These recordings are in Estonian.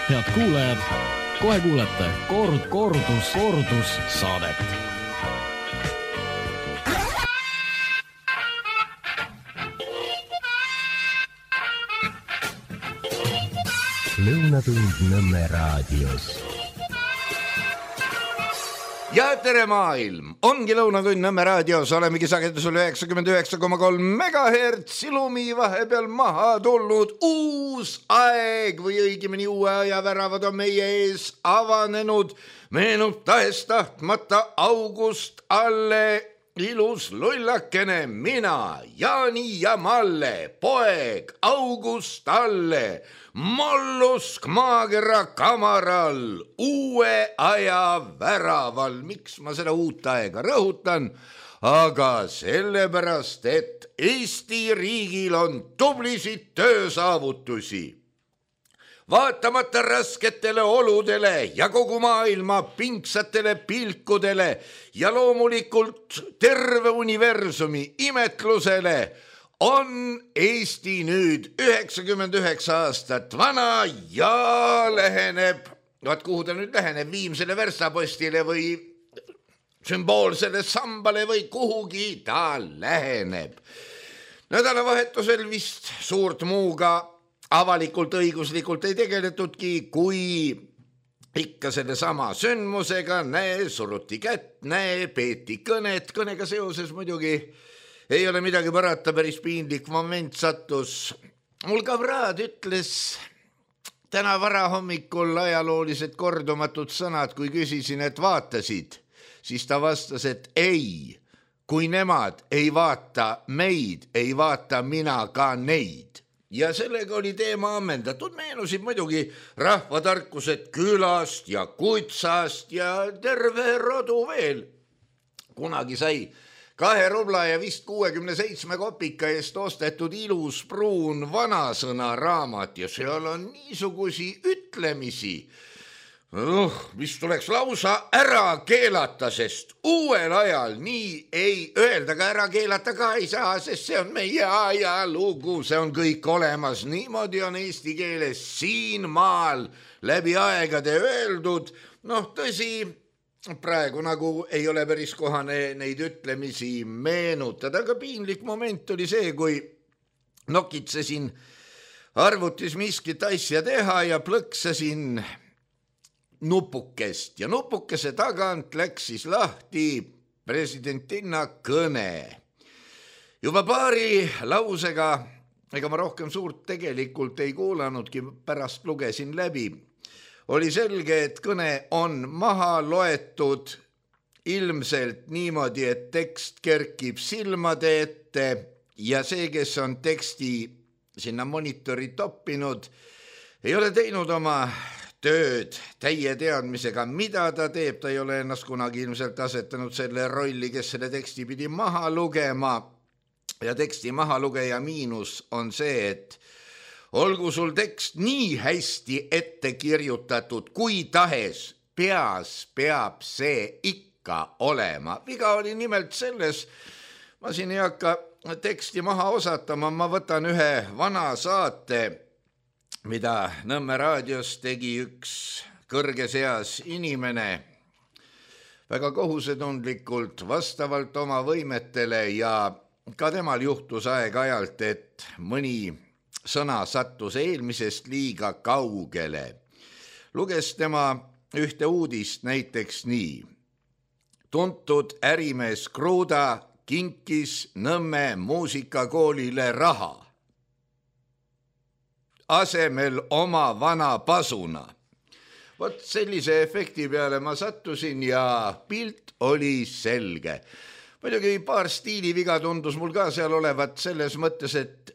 Head kuulajad, kohe kuulete kordus saadet. Lõunatund Nõmme raadios. Ja tere maailm, ongi Lõunatund Nõmme raadios, olemegi sagedusel 99,3 megahertz, ilumi vahepeal maha tulnud uus aeg või õigemini uue aja väravad on meie ees avanenud, meenub tahes-tahtmata august alle ilus lullakene, mina, Jaani ja Malle, poeg August Alle, mollusk maakera kamaral, uue aja väraval. Miks ma seda uut aega rõhutan? Aga sellepärast, et Eesti riigil on tublisid töösaavutusi. Vaatamata rasketele oludele ja kogu maailma pingsatele pilkudele ja loomulikult terve universumi imetlusele on Eesti nüüd 99 aastat vana ja läheneb, vaat kuhu ta nüüd läheneb, viimsele verstapostile või sümboolsele sambale või kuhugi ta läheneb. Nädalavahetusel vist suurt muuga avalikult õiguslikult ei tegeletudki, kui ikka selle sama sündmusega, suruti kätt, peeti kõnet, kõnega seoses muidugi ei ole midagi parata, päris piinlik moment sattus. Mul kabraad ütles täna varahommikul ajaloolised kordumatud sõnad, kui küsisin, et vaatasid, siis ta vastas, et ei, kui nemad ei vaata meid, ei vaata mina ka neid. Ja sellega oli teema ammendatud, meenusid muidugi rahvatarkused külast ja kutsast ja terve rodu veel. Kunagi sai 2 rubla ja vist 67 kopika eest ostetud ilus pruun vanasõna raamat ja seal on niisugusi ütlemisi, mis tuleks lausa ära keelata, sest uuel ajal nii ei öelda, ka ära keelata ka ei saa, sest see on meie ajalugu, see on kõik olemas. Niimoodi on eesti keeles siin maal läbi aegade öeldud. Tõsi, praegu nagu ei ole päris kohane neid ütlemisi meenutada, aga piinlik moment oli see, kui nokitsesin arvutis miskit asja teha ja plõksasin nupukest ja nupukese tagant läks siis lahti presidentinna kõne. Juba paari lausega, ega ma rohkem suurt tegelikult ei kuulanudki, pärast lugesin läbi. Oli selge, et kõne on maha loetud ilmselt niimoodi, et tekst kerkib silmade ette ja see, kes on teksti sinna monitori toppinud, ei ole teinud oma tööd täie teadmisega, mida ta teeb, ta ei ole ennast kunagi ilmselt asetanud selle rolli, kes selle teksti pidi maha lugema. Ja teksti mahalugeja miinus on see, et olgu sul tekst nii hästi ette kirjutatud, kui tahes peas peab see ikka olema. Viga oli nimelt selles, ma siin ei hakka teksti maha osatama, ma võtan ühe vana saate, mida Nõmme raadios tegi üks kõrges eas inimene väga kohusetundlikult vastavalt oma võimetele ja ka temal juhtus aeg-ajalt, et mõni sõna sattus eelmisest liiga kaugele. Luges tema ühte uudist näiteks nii. Tuntud ärimees Kruda kinkis Nõmme muusikakoolile raha. Asemel oma vana pasuna. Vot sellise efekti peale ma sattusin ja pilt oli selge. Muidugi paar stiiliviga tundus mul ka seal olevat selles mõttes, et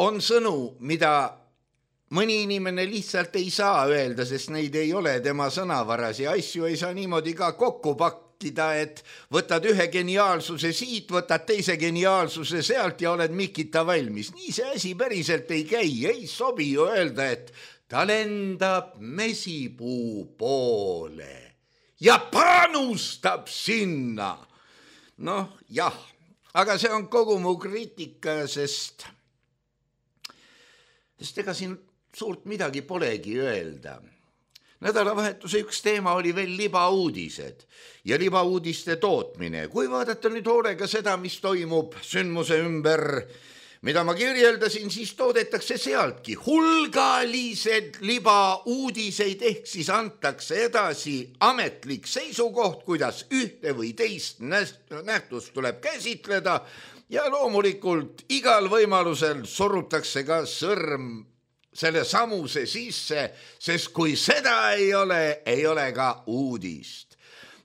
on sõnu, mida mõni inimene lihtsalt ei saa öelda, sest neid ei ole tema sõnavaras ja asju ei saa niimoodi ka kokku pakkida, et võtad ühe geniaalsuse siit, võtad teise geniaalsuse sealt ja oled mikita valmis. Nii see asi päriselt ei käi, ei sobi ju öelda, et ta lendab mesipuu poole ja panustab sinna. Jah, aga see on kogu mu kriitika, sest ega siin suurt midagi polegi öelda. Nädalavahetuse üks teema oli veel libauudised ja libauudiste tootmine. Kui vaadata nüüd hoolega seda, mis toimub sündmuse ümber, mida ma kirjeldasin, siis toodetakse sealtki hulgalised libauudiseid, ehk siis antakse edasi ametlik seisukoht, kuidas ühte või teist nähtust tuleb käsitleda ja loomulikult igal võimalusel surutakse ka sõrm selle samuse sisse, sest kui seda ei ole ka uudist.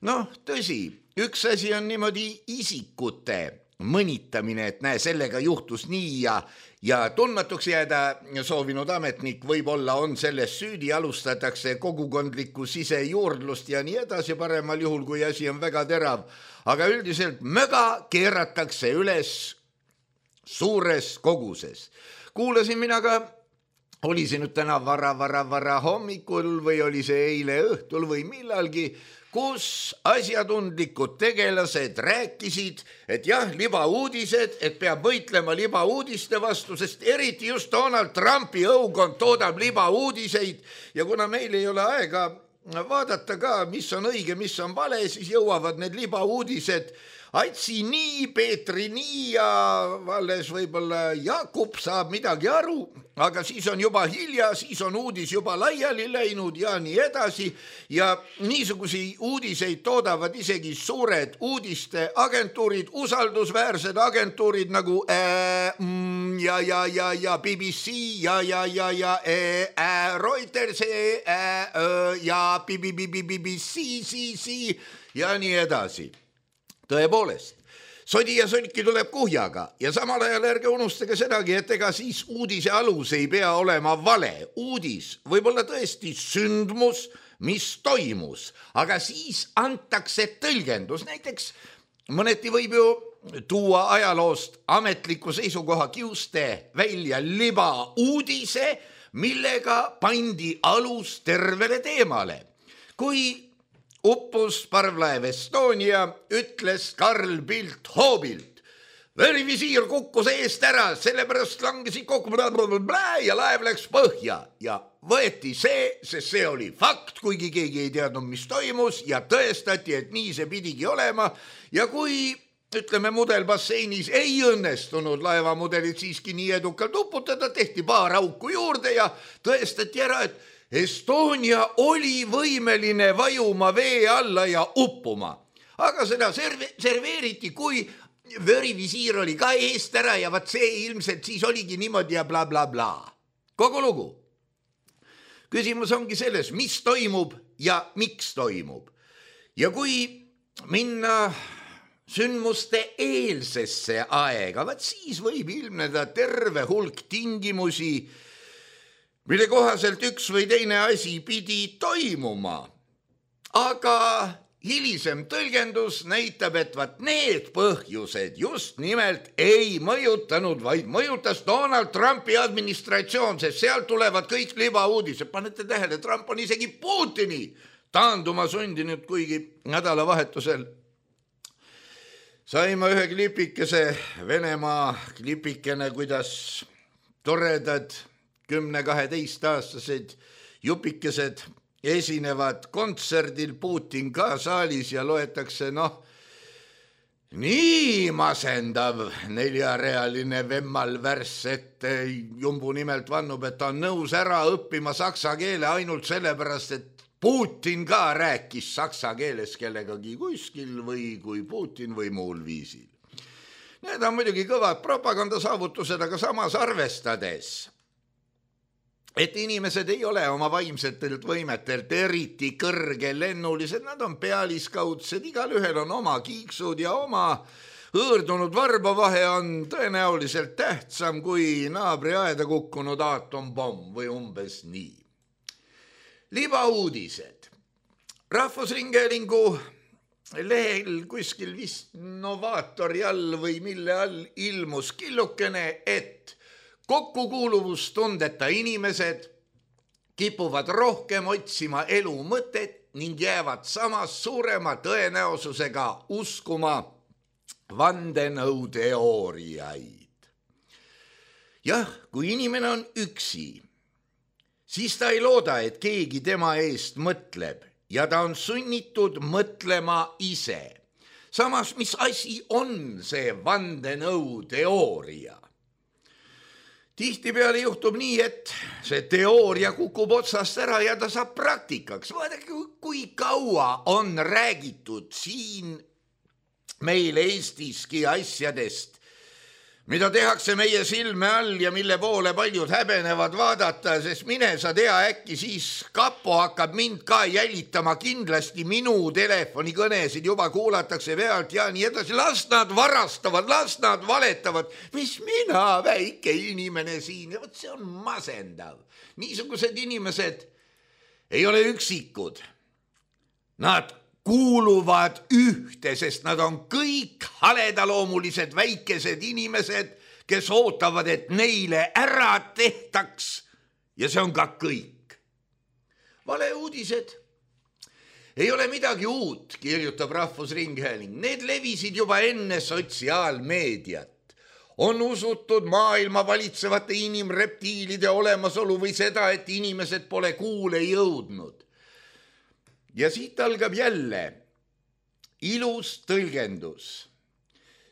Noh, tõsi, üks asi on niimoodi isikute mõnitamine, et näe, sellega juhtus nii ja tundmatuks jääda soovinud ametnik võib-olla on selles süüdi, alustatakse kogukondlikku sisejuurdlust ja nii edasi, paremal juhul, kui asi on väga terav. Aga üldiselt möga keeratakse üles suures koguses. Kuulasin mina ka, oli see nüüd täna vara hommikul või oli see eile õhtul või millalgi, kus asjatundlikud tegelased rääkisid, et jah, libauudised, et peab võitlema libauudiste vastu, sest eriti just Donald Trumpi õukond toodab libauudiseid ja kuna meil ei ole aega vaadata ka, mis on õige, mis on vale, siis jõuavad need libauudised Aitsi nii, Peetri nii ja alles võib-olla Jakub saab midagi aru, aga siis on juba hilja, siis on uudis juba laiali läinud ja nii edasi ja niisugusi uudiseid toodavad isegi suured uudiste agentuurid, usaldusväärsed agentuurid nagu ja BBC ja Reuters ja BBC ja nii edasi. Tõepoolest, sodi ja sonki tuleb kuhjaga ja samal ajal ärge unustage sedagi, et ega siis uudise alus ei pea olema vale. Uudis võib olla tõesti sündmus, mis toimus, aga siis antakse tõlgendus. Näiteks mõneti võib ju tuua ajaloost ametliku seisukoha kiuste välja libauudise, millega pandi alus tervele teemale. Kui uppus parvlaev Estonia, ütles Karl Bildt hoobilt. Verivisiir kukkus eest ära, sellepärast langesid kokku ja laev läks põhja ja võeti see, sest see oli fakt, kuigi keegi ei teadnud, mis toimus ja tõestati, et nii see pidigi olema ja kui ütleme mudelbasseinis ei õnnestunud laevamudelit siiski nii edukalt uputada, tehti paar auku juurde ja tõestati ära, et Estonia oli võimeline vajuma vee alla ja uppuma, aga seda serveeriti, kui verivisiir oli ka eest ära ja vaat see ilmselt siis oligi niimoodi ja bla bla bla. Kogu lugu. Küsimus ongi selles, mis toimub ja miks toimub. Ja kui minna sündmuste eelsesse aega, vaat siis võib ilmneda terve hulk tingimusi, mille kohaselt üks või teine asi pidi toimuma. Aga hilisem tõlgendus näitab, et vaat need põhjused just nimelt ei mõjutanud, vaid mõjutas Donald Trumpi administratsioon, sest sealt tulevad kõik libauudised. Panete tähele, Trump on isegi Putini taanduma sundinud, kuigi nädalavahetusel saime ühe klipikese, Venemaa klipikene, kuidas toredad 10-12-aastased jupikesed esinevad kontserdil, Putin ka saalis ja loetakse, nii masendav 4-realine vemmal värss, et Jumbu nimelt vannub, et ta on nõus ära õppima saksa keele ainult sellepärast, et Putin ka rääkis saksa keeles kellegagi kuskil või kui Putin või muul viisil. Need on muidugi kõvad propagandasaavutused, aga samas arvestades, et inimesed ei ole oma vaimsetelt võimetelt eriti kõrgelennulised, nad on pealiskaudsed, igal ühel on oma kiiksud ja oma hõõrdunud varbavahe on tõenäoliselt tähtsam kui naabri aeda kukkunud aatompomm või umbes nii. Libauudised. Rahvusringhäälingu lehel kuskil vist Novaatori all või mille all ilmus killukene, et kokkukuuluvustundeta inimesed kipuvad rohkem otsima elu mõtet ning jäävad samas suurema tõenäosusega uskuma vandenõuteooriaid. Jah, kui inimene on üksi, siis ta ei looda, et keegi tema eest mõtleb ja ta on sunnitud mõtlema ise. Samas, mis asi on see vandenõuteooria? Tihtipeale juhtub nii, et see teooria kukub otsast ära ja ta saab praktikaks. Vaadake, kui kaua on räägitud siin meil Eestiski asjadest, mida tehakse meie silme all ja mille poole paljud häbenevad vaadata, sest mine sa tea, äkki siis kapo hakkab mind ka jälitama, kindlasti minu telefonikõnesid juba kuulatakse pealt ja nii edasi. Las nad varastavad, las nad valetavad, mis mina, väike inimene siin, ja võt see on masendav. Niisugused inimesed ei ole üksikud. Nad kuuluvad ühte, sest nad on kõik haledaloomulised väikesed inimesed, kes ootavad, et neile ära tehtaks ja see on ka kõik. Valeuudised ei ole midagi uut, kirjutab Rahvusringhääling. Need levisid juba enne sotsiaalmeediat. On usutud maailma valitsevate inimreptiilide olemasolu või seda, et inimesed pole kuule jõudnud. Ja siit algab jälle ilus tõlgendus.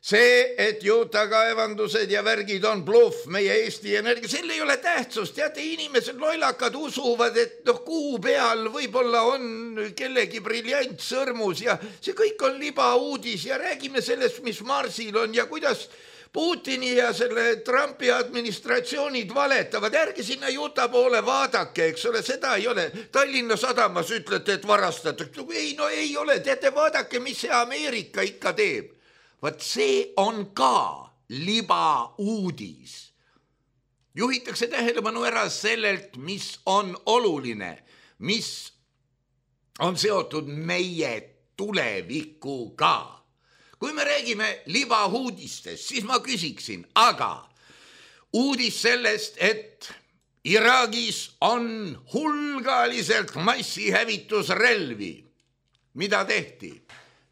See, et juutakaevandused ja värgid on bluff meie Eesti Energia, selle ei ole tähtsust. Teate, inimesed loilakad usuvad, et kuu peal võib-olla on kellegi briljant sõrmus ja see kõik on libauudis ja räägime sellest, mis Marsil on ja kuidas Putini ja selle Trumpi administratsioonid valetavad. Ärge sinna Juta poole vaadake, eks ole, seda ei ole. Tallinna Sadamas ütlete, et varastatakse. Ei, no ei ole. Teate, vaadake, mis see Ameerika ikka teeb. Vaat see on ka libauudis. Juhitakse tähelepanu ära sellelt, mis on oluline, mis on seotud meie tulevikuga. Kui me räägime libauudistest, siis ma küsiksin, aga uudis sellest, et Iraagis on hulgaliselt massihävitusrelvi. Mida tehti?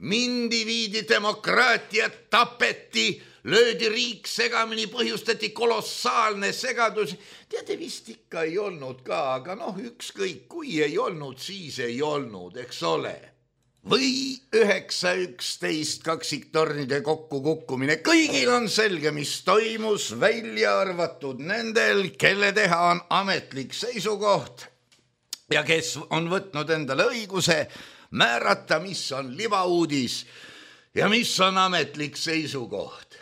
Mindi, viidi demokraatiat, tapeti, löödi riik segamini, põhjustati kolossaalne segadus. Teate, vist ikka ei olnud ka, aga ükskõik, kui ei olnud, siis ei olnud, eks ole. Või 9.11 kaksiktornide kokkukukkumine. Kõigil on selge, mis toimus, välja arvatud nendel, kelle teha on ametlik seisukoht ja kes on võtnud endale õiguse määrata, mis on libauudis ja mis on ametlik seisukoht.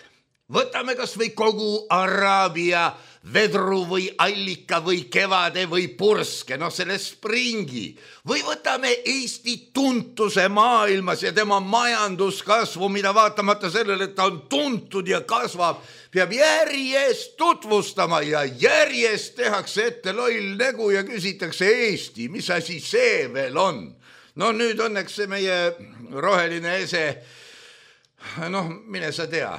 Võtame kas või kogu Araabia vedru või allika või kevade või purske, selle springi. Või võtame Eesti tuntuse maailmas ja tema majanduskasvu, mida vaatamata sellele, et ta on tuntud ja kasvab, peab järjest tutvustama ja järjest tehakse ette loll nägu ja küsitakse Eesti, mis asi see veel on. Nüüd õnneks see meie roheline ese, mine sa tea,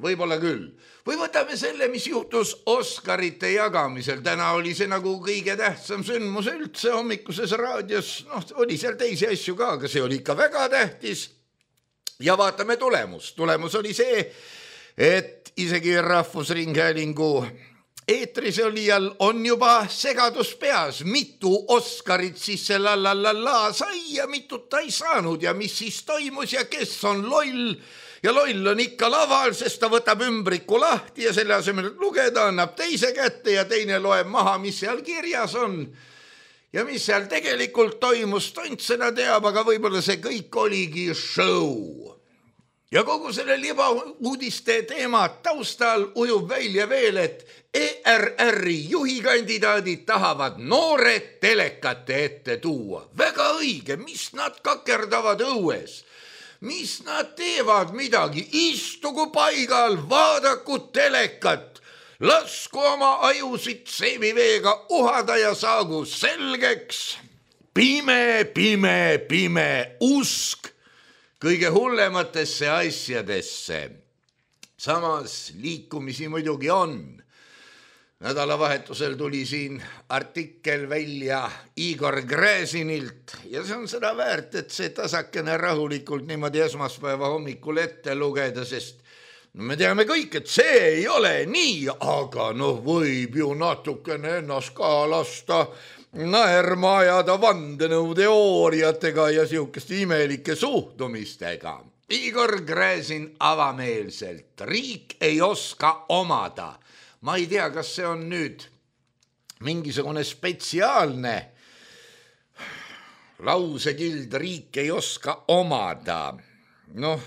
võib-olla küll. Või võtame selle, mis juhtus Oscarite jagamisel. Täna oli see nagu kõige tähtsam sündmus üldse hommikuses raadios. Oli seal teisi asju ka, aga see oli ikka väga tähtis. Ja vaatame tulemus. Tulemus oli see, et isegi Rahvusringhäälingu eetris olijal on juba segadus peas. Mitu Oscarit siis see sai ja mitut ta ei saanud ja mis siis toimus ja kes on loll. Ja loll on ikka laval, sest ta võtab ümbriku lahti ja selle asemel lugeda, annab teise kätte ja teine loeb maha, mis seal kirjas on. Ja mis seal tegelikult toimus, tont seda teab, aga võib-olla see kõik oligi show. Ja kogu selle libauudiste teema taustal ujub välja veel, et ERR-i juhikandidaadid tahavad noored telekate ette tuua. Väga õige, mis nad kakerdavad õues? Mis nad teevad midagi? Istugu paigal, vaadaku telekat, lasku oma ajusid seemiveega uhada ja saagu selgeks. Pime, pime, pime usk kõige hullematesse asjadesse. Samas liikumisi muidugi on. Nädalavahetusel tuli siin artikkel välja Igor Gräzinilt ja see on seda väärt, et see tasakene rahulikult niimoodi esmaspäeva hommikul ette lugeda, sest no me teame kõik, et see ei ole nii, aga noh, võib ju natukene ennast ka lasta naerma ajada vandenõuteooriatega ja sihukeste imelike suhtumistega. Igor Gräzin avameelselt, riik ei oska omada. Ma ei tea, kas see on nüüd mingisugune spetsiaalne lausekild, riik ei oska omada. Noh,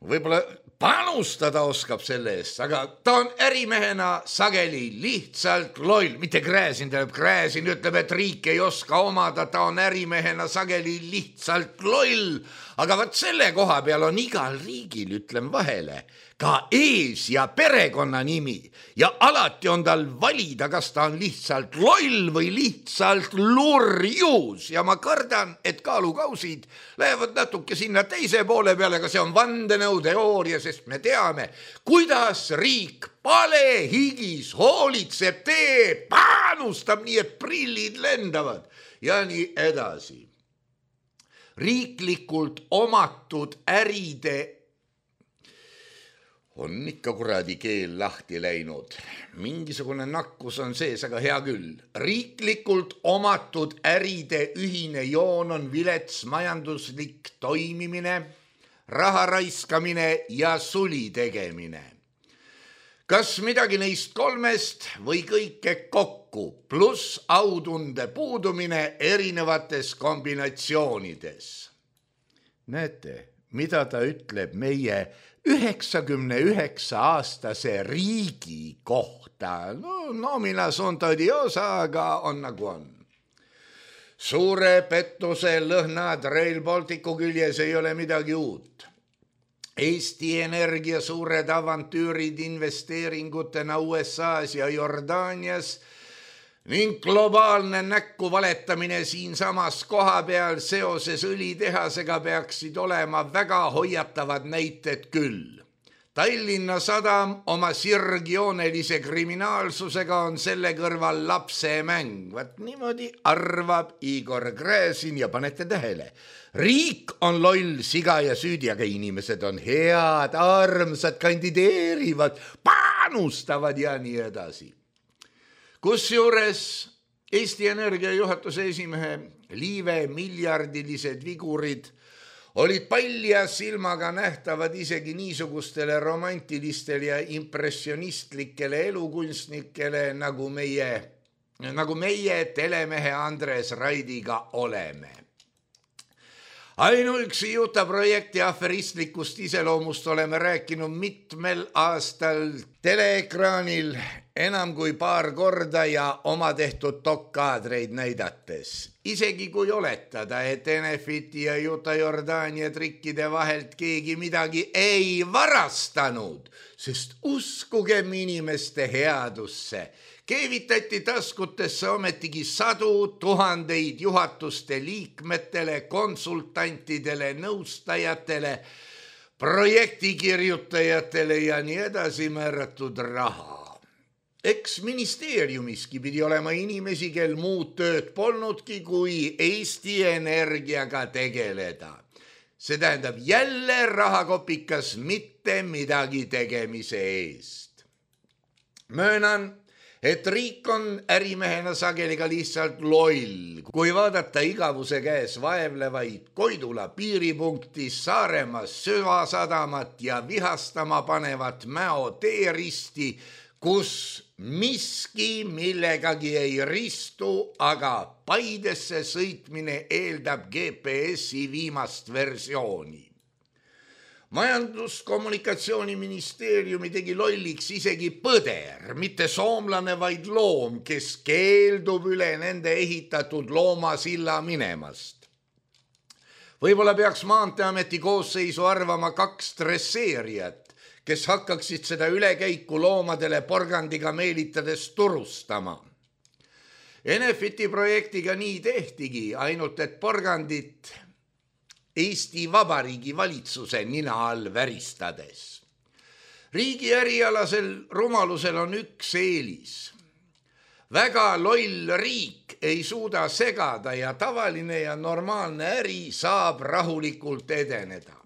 võib-olla panustada oskab selle eest, aga ta on ärimehena sageli lihtsalt loll. Mitte Gräzin, Gräzin ütleb, et riik ei oska omada, ta on ärimehena sageli lihtsalt loll. Aga vaat selle koha peal on igal riigil, ütlen vahele, ka ees- ja perekonnanimi ja alati on tal valida, kas ta on lihtsalt loll või lihtsalt lurjus ja ma kardan, et kaalukausid lähevad natuke sinna teise poole peale, aga see on vandenõuteooria, sest me teame, kuidas riik palehigis hoolitseb, teeb, panustab nii, et prillid lendavad ja nii edasi. Riiklikult omatud äride on ikka kuradi keel lahti läinud. Mingisugune nakkus on sees, aga hea küll. Riiklikult omatud äride ühine joon on vilets majanduslik toimimine, raha raiskamine ja suli tegemine. Kas midagi neist kolmest või kõike kokku, pluss autunde puudumine erinevates kombinatsioonides? Näete, mida ta ütleb meie 99-aastase riigi kohta. No, nomina sunt odiosa, aga on nagu on. Suure pettuse lõhnad Rail Balticu küljes ei ole midagi uut. Eesti Energia suured avantüürid investeeringutena USAs ja Jordaanias ning globaalne näkku valetamine siinsamas koha peal seoses õlitehasega peaksid olema väga hoiatavad näited küll. Tallinna Sadam oma sirgjoonelise kriminaalsusega on selle kõrval lapse mäng. Vaat niimoodi arvab Igor Gräzin ja panete tähele. Riik on loll, siga ja süüdi, aga inimesed on head, armsad, kandideerivad, panustavad ja nii edasi. Kusjuures Eesti Energia juhatuse esimehe Liive miljardilised vigurid olid palja silmaga nähtavad isegi niisugustele romantilistele ja impressionistlikele elukunstnikele, nagu meie telemehe Andres Raidiga oleme. Ainuüksi Juta projekti aferistlikust iseloomust oleme rääkinud mitmel aastal teleekraanil enam kui paar korda ja oma tehtud dokkaadreid näidates. Isegi kui oletada, et Enefiti ja Juta Jordaania trikkide vahelt keegi midagi ei varastanud, sest uskugem inimeste headusse, keevitati taskutesse ometigi 100 000 juhatuste liikmetele, konsultantidele, nõustajatele, projektikirjutajatele ja nii edasi määratud raha. Eks ministeeriumiski pidi olema inimesi, kel muud tööd polnudki, kui Eesti Energiaga tegeleda. See tähendab jälle rahakopikas mitte midagi tegemise eest. Möönan, et riik on ärimehena sageli ka lihtsalt loll. Kui vaadata igavuse käes vaevlevaid Koidula piiripunkti, Saaremaa süvasadamat ja vihastama panevat Mäo teeristi, kus miski millegagi ei ristu, aga Paidesse sõitmine eeldab GPS-i viimast versiooni. Majandus-kommunikatsiooniministeeriumi tegi lolliks isegi põder, mitte soomlane, vaid loom, kes keeldub üle nende ehitatud loomasilla minemast. Võib-olla peaks Maanteeameti koosseisu arvama 2 dresseerijat, kes hakkaksid seda ülekäiku loomadele porgandiga meelitades turustama. Enefiti projektiga nii tehtigi, ainult et porgandit Eesti Vabariigi valitsuse nina all väristades. Riigi ärialasel rumalusel on üks eelis. Väga loll riik ei suuda segada ja tavaline ja normaalne äri saab rahulikult edeneda.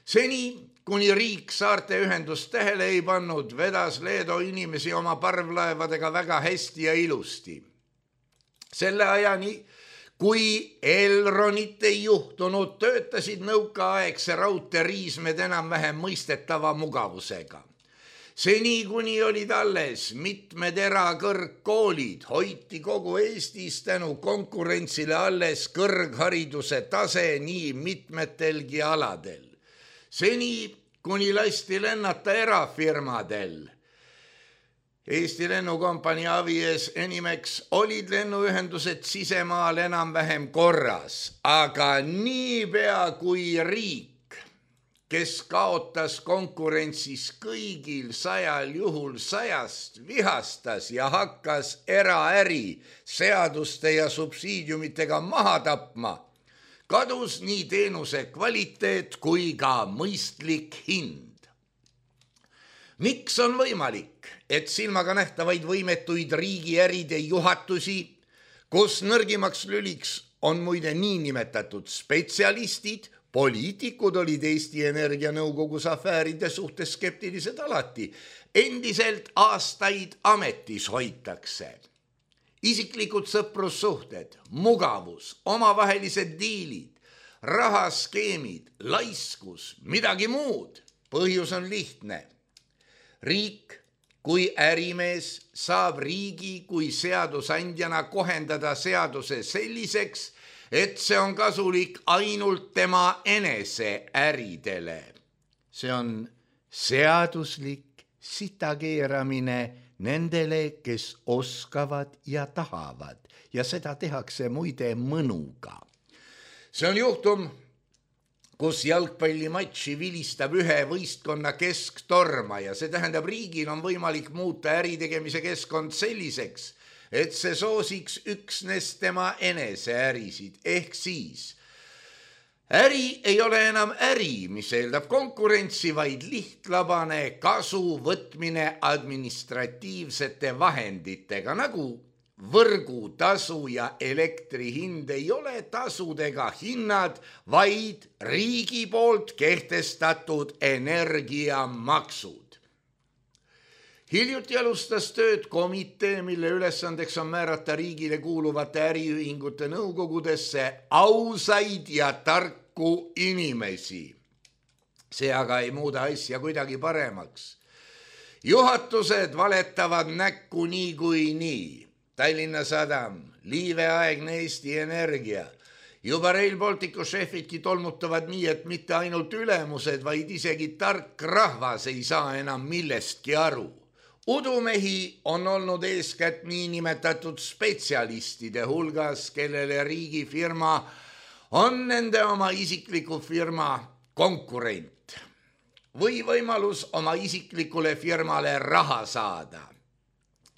Seni, kuni riik saarte ühendust tähele ei pannud, vedas Leedo inimesi oma parvlaevadega väga hästi ja ilusti. Selle ajani, kui Elronit ei juhtunud, töötasid nõukaaegse raudtee riismed enam-vähem mõistetava mugavusega. Seni, kuni olid alles mitmed erakõrgkoolid, hoiti kogu Eestis tänu konkurentsile alles kõrghariduse tase nii mitmetelgi aladel. Seni, kuni lasti lennata erafirmadel, Eesti lennukompanii Avies Enimex, olid lennuühendused sisemaal enam-vähem korras, aga niipea kui riik, kes kaotas konkurentsis kõigil 100 juhul 100 vihastas ja hakkas eraäri seaduste ja subsiidiumitega maha tapma, kadus nii teenuse kvaliteet kui ka mõistlik hind. Miks on võimalik, et silmaga nähtavaid võimetuid riigiäride juhatusi, kus nõrgimaks lüliks on muide niinimetatud spetsialistid, poliitikud olid Eesti Energia nõukogus afääride suhtes skeptilised alati, endiselt aastaid ametis hoitakse. Isiklikud sõprussuhted, mugavus, omavahelised diilid, rahaskeemid, laiskus, midagi muud. Põhjus on lihtne. Riik kui ärimees saab riigi kui seadusandjana kohendada seaduse selliseks, et see on kasulik ainult tema enese äridele. See on seaduslik sitakeeramine nendele, kes oskavad ja tahavad, ja seda tehakse muide mõnuga. See on juhtum, kus jalgpallimatši vilistab ühe võistkonna kesktorma ja see tähendab, riigil on võimalik muuta äritegemise keskkond selliseks, et see soosiks üksnes tema enese ärisid, ehk siis äri ei ole enam äri, mis eeldab konkurentsi, vaid lihtlabane kasu võtmine administratiivsete vahenditega, nagu võrgutasu ja elektri hind ei ole tasud ega hinnad, vaid riigi poolt kehtestatud energiamaksud. Hiljuti alustas tööd komitee, mille ülesandeks on määrata riigile kuuluvate äriühingute nõukogudesse ausaid ja tarku inimesi. See aga ei muuda asja kuidagi paremaks. Juhatused valetavad näkku niikuinii. Tallinna Sadam, liiveaegne Eesti Energia. Juba Rail Balticu šefidki tolmutavad nii, et mitte ainult ülemused, vaid isegi tark rahvas ei saa enam millestki aru. Udumehi on olnud eeskätt niinimetatud spetsialistide hulgas, kellele riigifirma on nende oma isikliku firma konkurent või võimalus oma isiklikule firmale raha saada.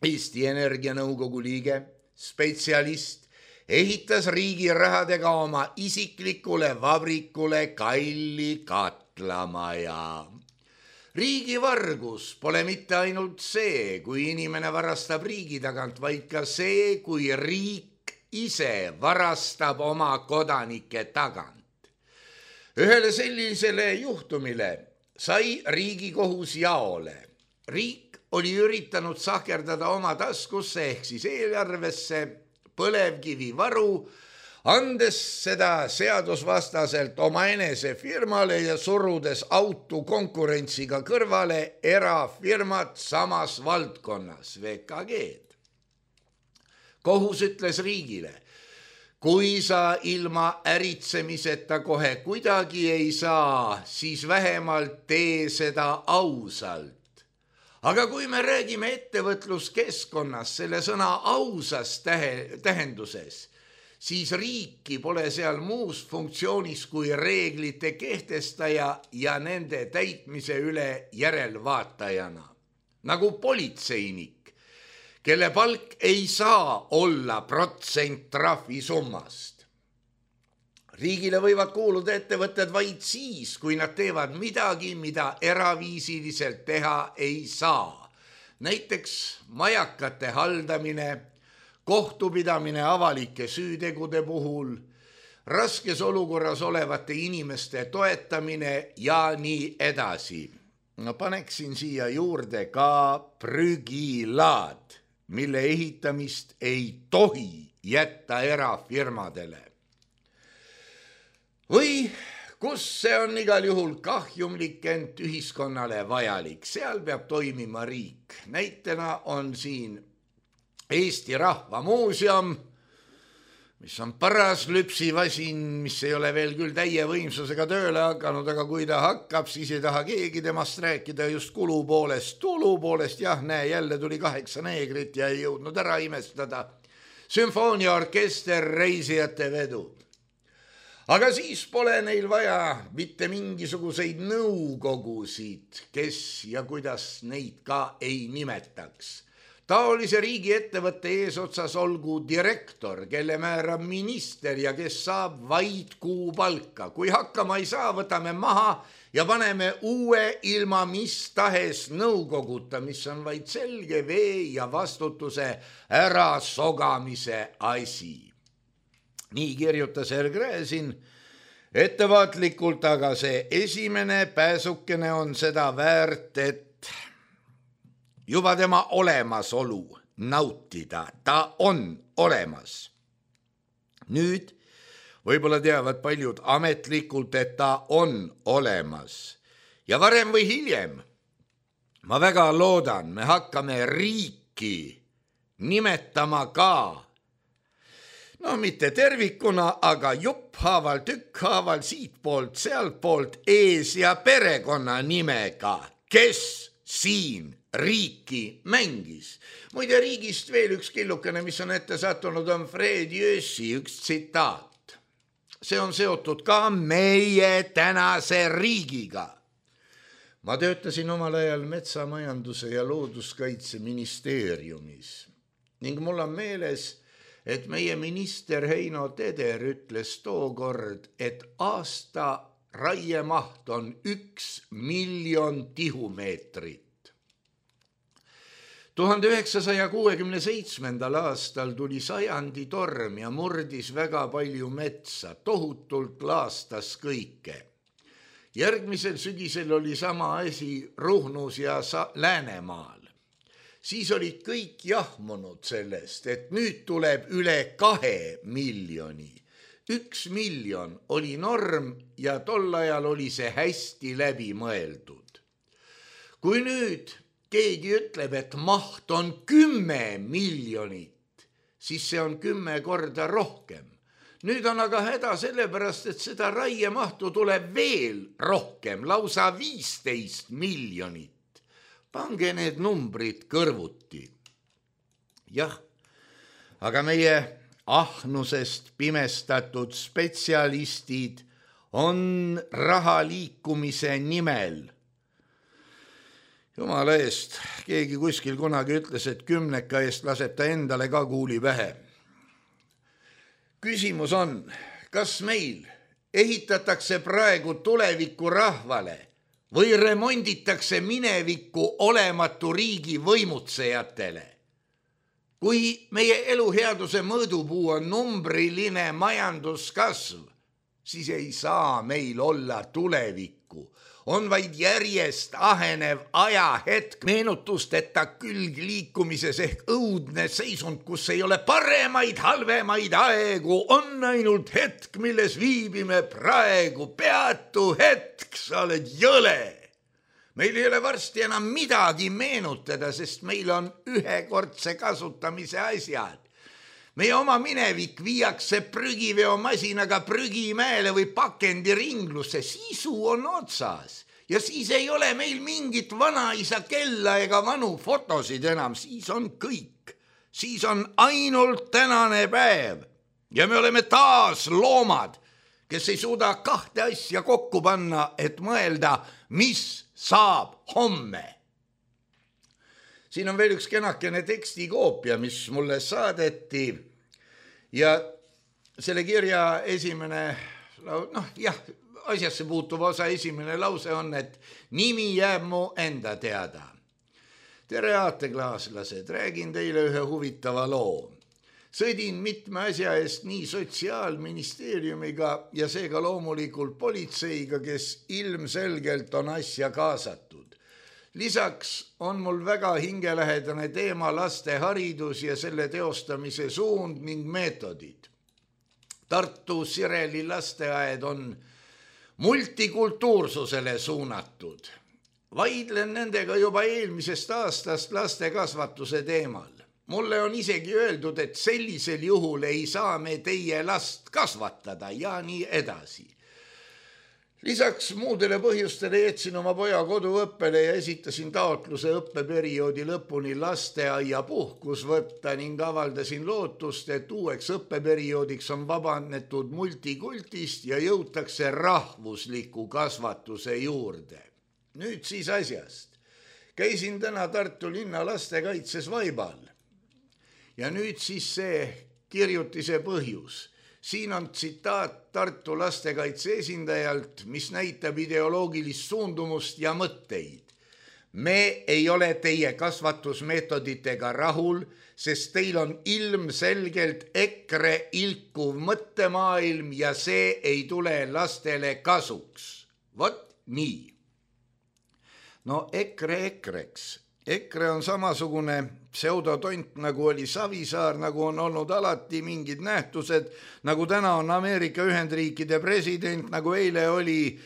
Eesti Energia nõukogu liige, spetsialist, ehitas riigi rahadega oma isiklikule vabrikule kalli katlamaja. Riigi vargus pole mitte ainult see, kui inimene varastab riigi tagant, vaid ka see, kui riik ise varastab oma kodanike tagant. Ühele sellisele juhtumile sai Riigikohus jaole. Riik oli üritanud sahkerdada oma taskusse ehk siis eelarvesse põlevkivivaru, andes seda seadusvastaselt oma enese firmale ja surudes autu konkurentsiga kõrvale erafirmat samas valdkonnas, VKG-d. Kohus ütles riigile, kui sa ilma äritsemiseta kohe kuidagi ei saa, siis vähemalt tee seda ausalt. Aga kui me räägime ettevõtluskeskkonnas selle sõna ausas tähenduses, siis riiki pole seal muus funktsioonis kui reeglite kehtestaja ja nende täitmise üle järelvaatajana. Nagu politseinik, kelle palk ei saa olla protsent trahvisummast. Riigile võivad kuuluda ettevõtted vaid siis, kui nad teevad midagi, mida eraviisiliselt teha ei saa. Näiteks majakate haldamine, kohtupidamine avalike süütegude puhul, raskes olukorras olevate inimeste toetamine ja nii edasi. No paneksin siia juurde ka prügilaad, mille ehitamist ei tohi jätta erafirmadele. Või kus see on igal juhul kahjumlik, ent ühiskonnale vajalik, seal peab toimima riik. Näitena on siin Eesti Rahva Muuseum, mis on paras lüpsivasin, mis ei ole veel küll täie võimsusega tööle hakanud, aga kui ta hakkab, siis ei taha keegi temast rääkida just kulu poolest. Tulu poolest, jah, näe, jälle tuli 8 neegrit ja ei jõudnud ära imestada. Sümfooniaorkester, reisijate vedu. Aga siis pole neil vaja mitte mingisuguseid nõukogusid, kes ja kuidas neid ka ei nimetaks. Taolise riigiettevõtte eesotsas olgu direktor, kelle määrab minister ja kes saab vaid kuupalka. Kui hakkama ei saa, võtame maha ja paneme uue ilma mis tahes nõukoguta, mis on vaid selge vee ja vastutuse ära sogamise asi. Nii kirjutas Gräzin ettevaatlikult, aga see esimene pääsukene on seda väärt, et juba tema olemasolu nautida, ta on olemas. Nüüd võib-olla teavad paljud ametlikult, et ta on olemas. Ja varem või hiljem, ma väga loodan, me hakkame riiki nimetama ka, no mitte tervikuna, aga jupphaaval, tükkhaaval, siitpoolt, sealtpoolt, ees ja perekonna nimega, kes siin riiki mängis. Muide, riigist veel üks killukene, mis on ette sattunud, on Fred Jössi üks tsitaat. See on seotud ka meie tänase riigiga. Ma töötasin omal ajal metsamajanduse ja looduskaitse ministeeriumis ning mul on meeles, et meie minister Heino Teder ütles tookord, et aasta raiemaht on 1 miljon tihumeetrit. 1967. aastal tuli sajandi torm ja murdis väga palju metsa, tohutult laastas kõike. Järgmisel sügisel oli sama asi Ruhnus ja Läänemaal. Siis olid kõik jahmunud sellest, et nüüd tuleb üle 2 miljoni. 1 miljon oli norm ja tol ajal oli see hästi läbi mõeldud. Kui nüüd keegi ütleb, et maht on 10 miljonit, siis see on 10 korda rohkem. Nüüd on aga häda sellepärast, et seda raiemahtu tuleb veel rohkem, lausa 15 miljonit. Pange need numbrid kõrvuti. Jah, aga meie ahnusest pimestatud spetsialistid on raha liikumise nimel. Jumala eest, keegi kuskil kunagi ütles, et 10 eest laseb ta endale ka kuuli pähe. Küsimus on, kas meil ehitatakse praegu tuleviku rahvale või remonditakse mineviku olematu riigi võimutsejatele? Kui meie eluheaduse mõõdupuu on numbriline majanduskasv, siis ei saa meil olla tulevikku. On vaid järjest ahenev ajahetk meenutusteta külgliikumises ehk õudne seisund, kus ei ole paremaid, halvemaid aegu, on ainult hetk, milles viibime praegu, peatu hetk, sa oled jõle. Meil ei ole varsti enam midagi meenutada, sest meil on ühekordse kasutamise asjad. Meie oma minevik viiakse prügiveomasinaga prügimäele või pakendiringlusse, sisu on otsas. Ja siis ei ole meil mingit vanaisa kella ega vanu fotosid enam, siis on kõik. Siis on ainult tänane päev. Ja me oleme taas loomad, kes ei suuda 2 asja kokku panna, et mõelda, mis saab homme. Siin on veel üks kenakene tekstikoopia, mis mulle saadeti ja selle kirja esimene, asjasse puutuv osa esimene lause on, et nimi jääb mu enda teada. Tere aateklaaslased, räägin teile ühe huvitava loo. Sõdin mitme asja eest nii Sotsiaalministeeriumiga ja seega loomulikult politseiga, kes ilmselgelt on asja kaasatud. Lisaks on mul väga hingelähedane teema laste haridus ja selle teostamise suund ning meetodid. Tartu Sireli lasteaed on multikultuursusele suunatud. Vaidlen nendega juba eelmisest aastast laste kasvatuse teemal. Mulle on isegi öeldud, et sellisel juhul ei saa me teie last kasvatada ja nii edasi. Lisaks muudele põhjustele jätsin oma poja koduõppele ja esitasin taotluse õppeperioodi lõpuni lasteaia puhkus võtta ning avaldasin lootust, et uueks õppeperioodiks on vabanetud multikultist ja jõutakse rahvusliku kasvatuse juurde. Nüüd siis asjast. Käisin täna Tartu linna lastekaitses Vaibal. Ja nüüd siis see kirjutise põhjus. Siin on tsitaat Tartu lastekaitse esindajalt, mis näitab ideoloogilist suundumust ja mõtteid. Me ei ole teie kasvatusmeetoditega rahul, sest teil on ilmselgelt EKRE ilkuv mõttemaailm ja see ei tule lastele kasuks. Vot nii. No EKRE-eks. EKRE on samasugune pseudotont, nagu oli Savisaar, nagu on olnud alati mingid nähtused, nagu täna on Ameerika Ühendriikide president, nagu eile oli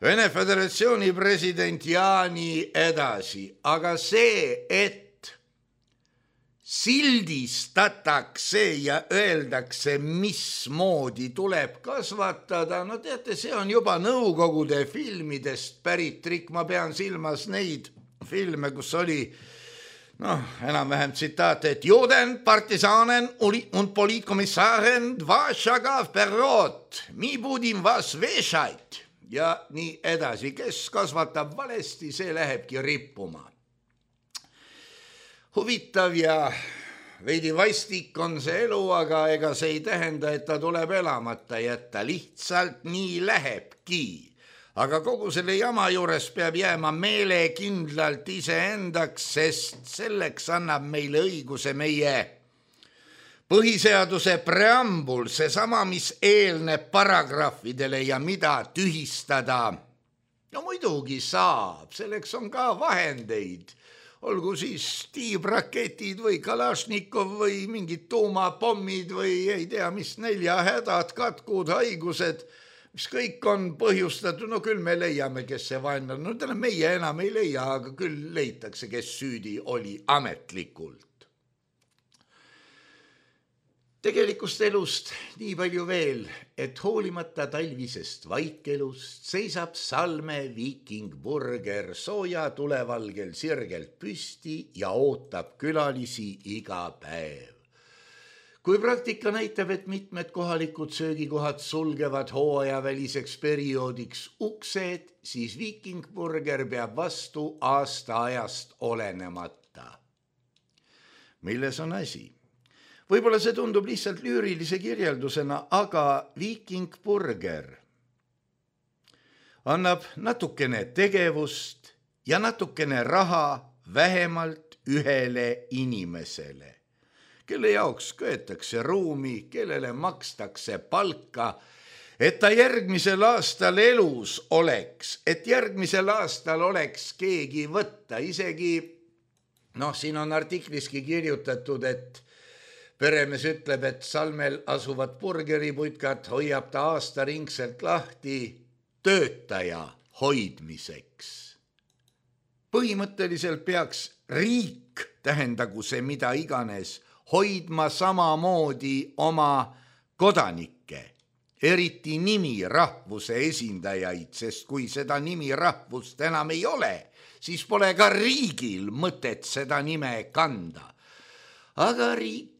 Vene Föderatsiooni president ja nii edasi. Aga see, et sildistatakse ja öeldakse, mismoodi tuleb kasvatada, no teate, see on juba Nõukogude filmidest pärit trikk, ma pean silmas neid filme, kus oli enam-vähem tsitaat, et Juden, partisanen und politkomissaren Vašaga perrot, mi budin vas vešait ja nii edasi. Kes kasvatab valesti, see lähebki rippuma. Huvitav ja veidi vastik on see elu, aga ega see ei tähenda, et ta tuleb elamata jätta. Lihtsalt nii lähebki. Aga kogu selle jama juures peab jääma meelekindlalt iseendaks, sest selleks annab meile õiguse meie põhiseaduse preambul, seesama, mis eelneb paragrahvidele ja mida tühistada. No muidugi saab, selleks on ka vahendeid. Olgu siis tiibraketid või Kalašnikov või mingid tuumapommid või ei tea, mis näljahädad, katkud, haigused, mis kõik on põhjustatud, no küll me leiame, kes see vaenlane, no täna meie enam ei leia, aga küll leitakse, kes süüdi oli ametlikult. Tegelikust elust nii palju veel, et hoolimata talvisest vaikelust seisab Salme viikingburger sooja tulevalgel sirgelt püsti ja ootab külalisi iga päev. Kui praktika näitab, et mitmed kohalikud söögikohad sulgevad hooajaväliseks perioodiks uksed, siis viikingburger peab vastu aastaajast olenemata. Milles on asi? Võib-olla see tundub lihtsalt lüürilise kirjeldusena, aga viikingburger annab natukene tegevust ja natukene raha vähemalt ühele inimesele, kelle jaoks köetakse ruumi, kellele makstakse palka, et ta järgmisel aastal elus oleks, et järgmisel aastal oleks keegi võtta. Isegi, siin on artikliski kirjutatud, et peremees ütleb, et Salmel asuvad burgeriputkad hoiab ta aastaringselt lahti töötaja hoidmiseks. Põhimõtteliselt peaks riik, tähendagu see mida iganes, hoidma samamoodi oma kodanikke, eriti nimi rahvuse esindajaid, sest kui seda nimi rahvust enam ei ole, siis pole ka riigil mõtet seda nime kanda. Aga riik,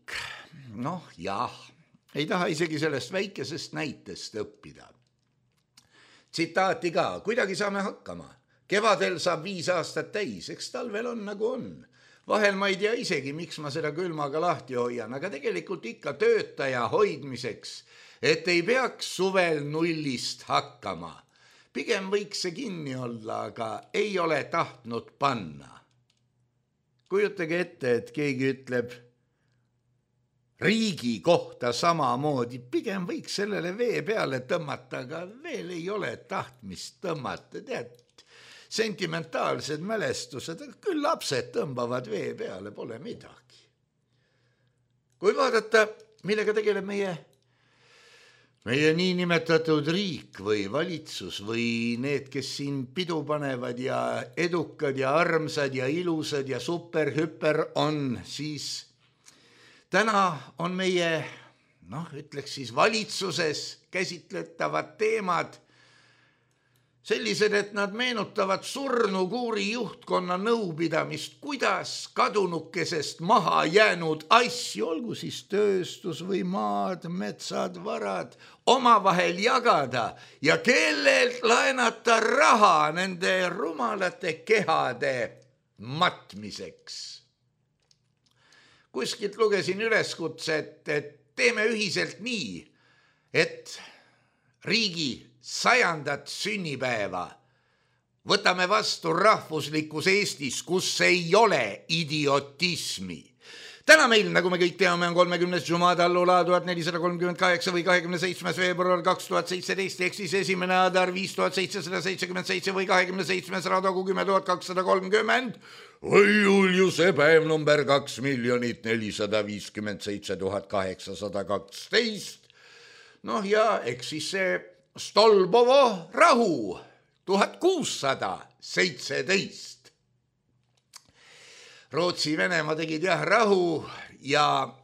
ei taha isegi sellest väikesest näitest õppida. Tsitaati ka, kuidagi saame hakkama. Kevadel saab 5 aastat täis, eks talvel on nagu on. Vahel ma ei tea isegi, miks ma seda külmaga lahti hoian, aga tegelikult ikka töötaja hoidmiseks, et ei peaks suvel nullist hakkama. Pigem võiks see kinni olla, aga ei ole tahtnud panna. Kujutage ette, et keegi ütleb, riigi kohta samamoodi, pigem võiks sellele vee peale tõmmata, aga veel ei ole tahtmist tõmmata, tead, sentimentaalsed mälestused, küll lapsed tõmbavad vee peale, pole midagi. Kui vaadata, millega tegeleb meie niinimetatud riik või valitsus või need, kes siin pidu panevad ja edukad ja armsad ja ilusad ja super-hüper on, siis täna on meie, ütleks siis valitsuses käsitletavad teemad sellised, et nad meenutavad surnukuuri juhtkonna nõupidamist, kuidas kadunukesest maha jäänud asju, olgu siis tööstus või maad, metsad, varad, omavahel jagada ja kellelt laenata raha nende rumalate kehade matmiseks. Kuskilt lugesin üleskutset, et teeme ühiselt nii, et riigi 100. sünnipäeva võtame vastu rahvuslikus Eestis, kus ei ole idiotismi. Täna meil, nagu me kõik teame, on 30. Jumada allula 1438 või 27. veebruar 2017, ehk siis 1. Adar 5777 või 27. Radogu 10230 või Juliuse päev number 2 457 812. Ja eks siis see Stolbovo rahu 1617. Rootsi-Venemaa tegid rahu ja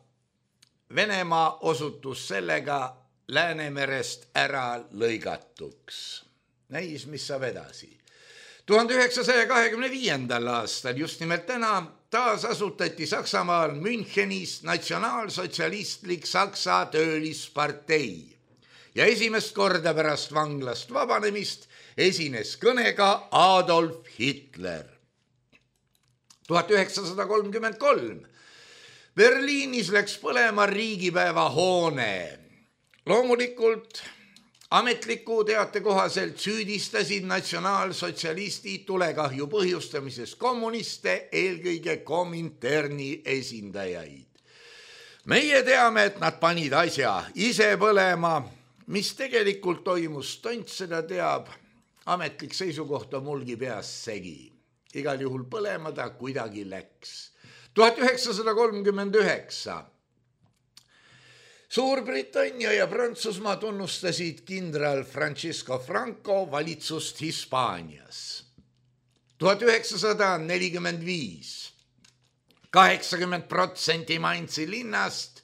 Venemaa osutus sellega Läänemerest ära lõigatuks. Näis, mis saab edasi. 1925. aastal, just nimelt täna, taas asutati Saksamaal Münchenis natsionaalsotsialistlik Saksa töölispartei. Ja esimest korda pärast vanglast vabanemist esines kõnega Adolf Hitler. 1933. Berliinis läks põlema riigipäeva hoone. Loomulikult ametliku teate kohaselt süüdistasid natsionaalsotsialistid tulekahju põhjustamises kommuniste, eelkõige Kominterni esindajaid. Meie teame, et nad panid asja ise põlema. Mis tegelikult toimus, tont seda teab, ametlik seisukoht on mulgi peas segi. Igal juhul põlema ta kuidagi läks. 1939. Suurbritannia ja Prantsusmaa tunnustasid kindral Francisco Franco valitsust Hispaanias. 1945. 80% Mainzi linnast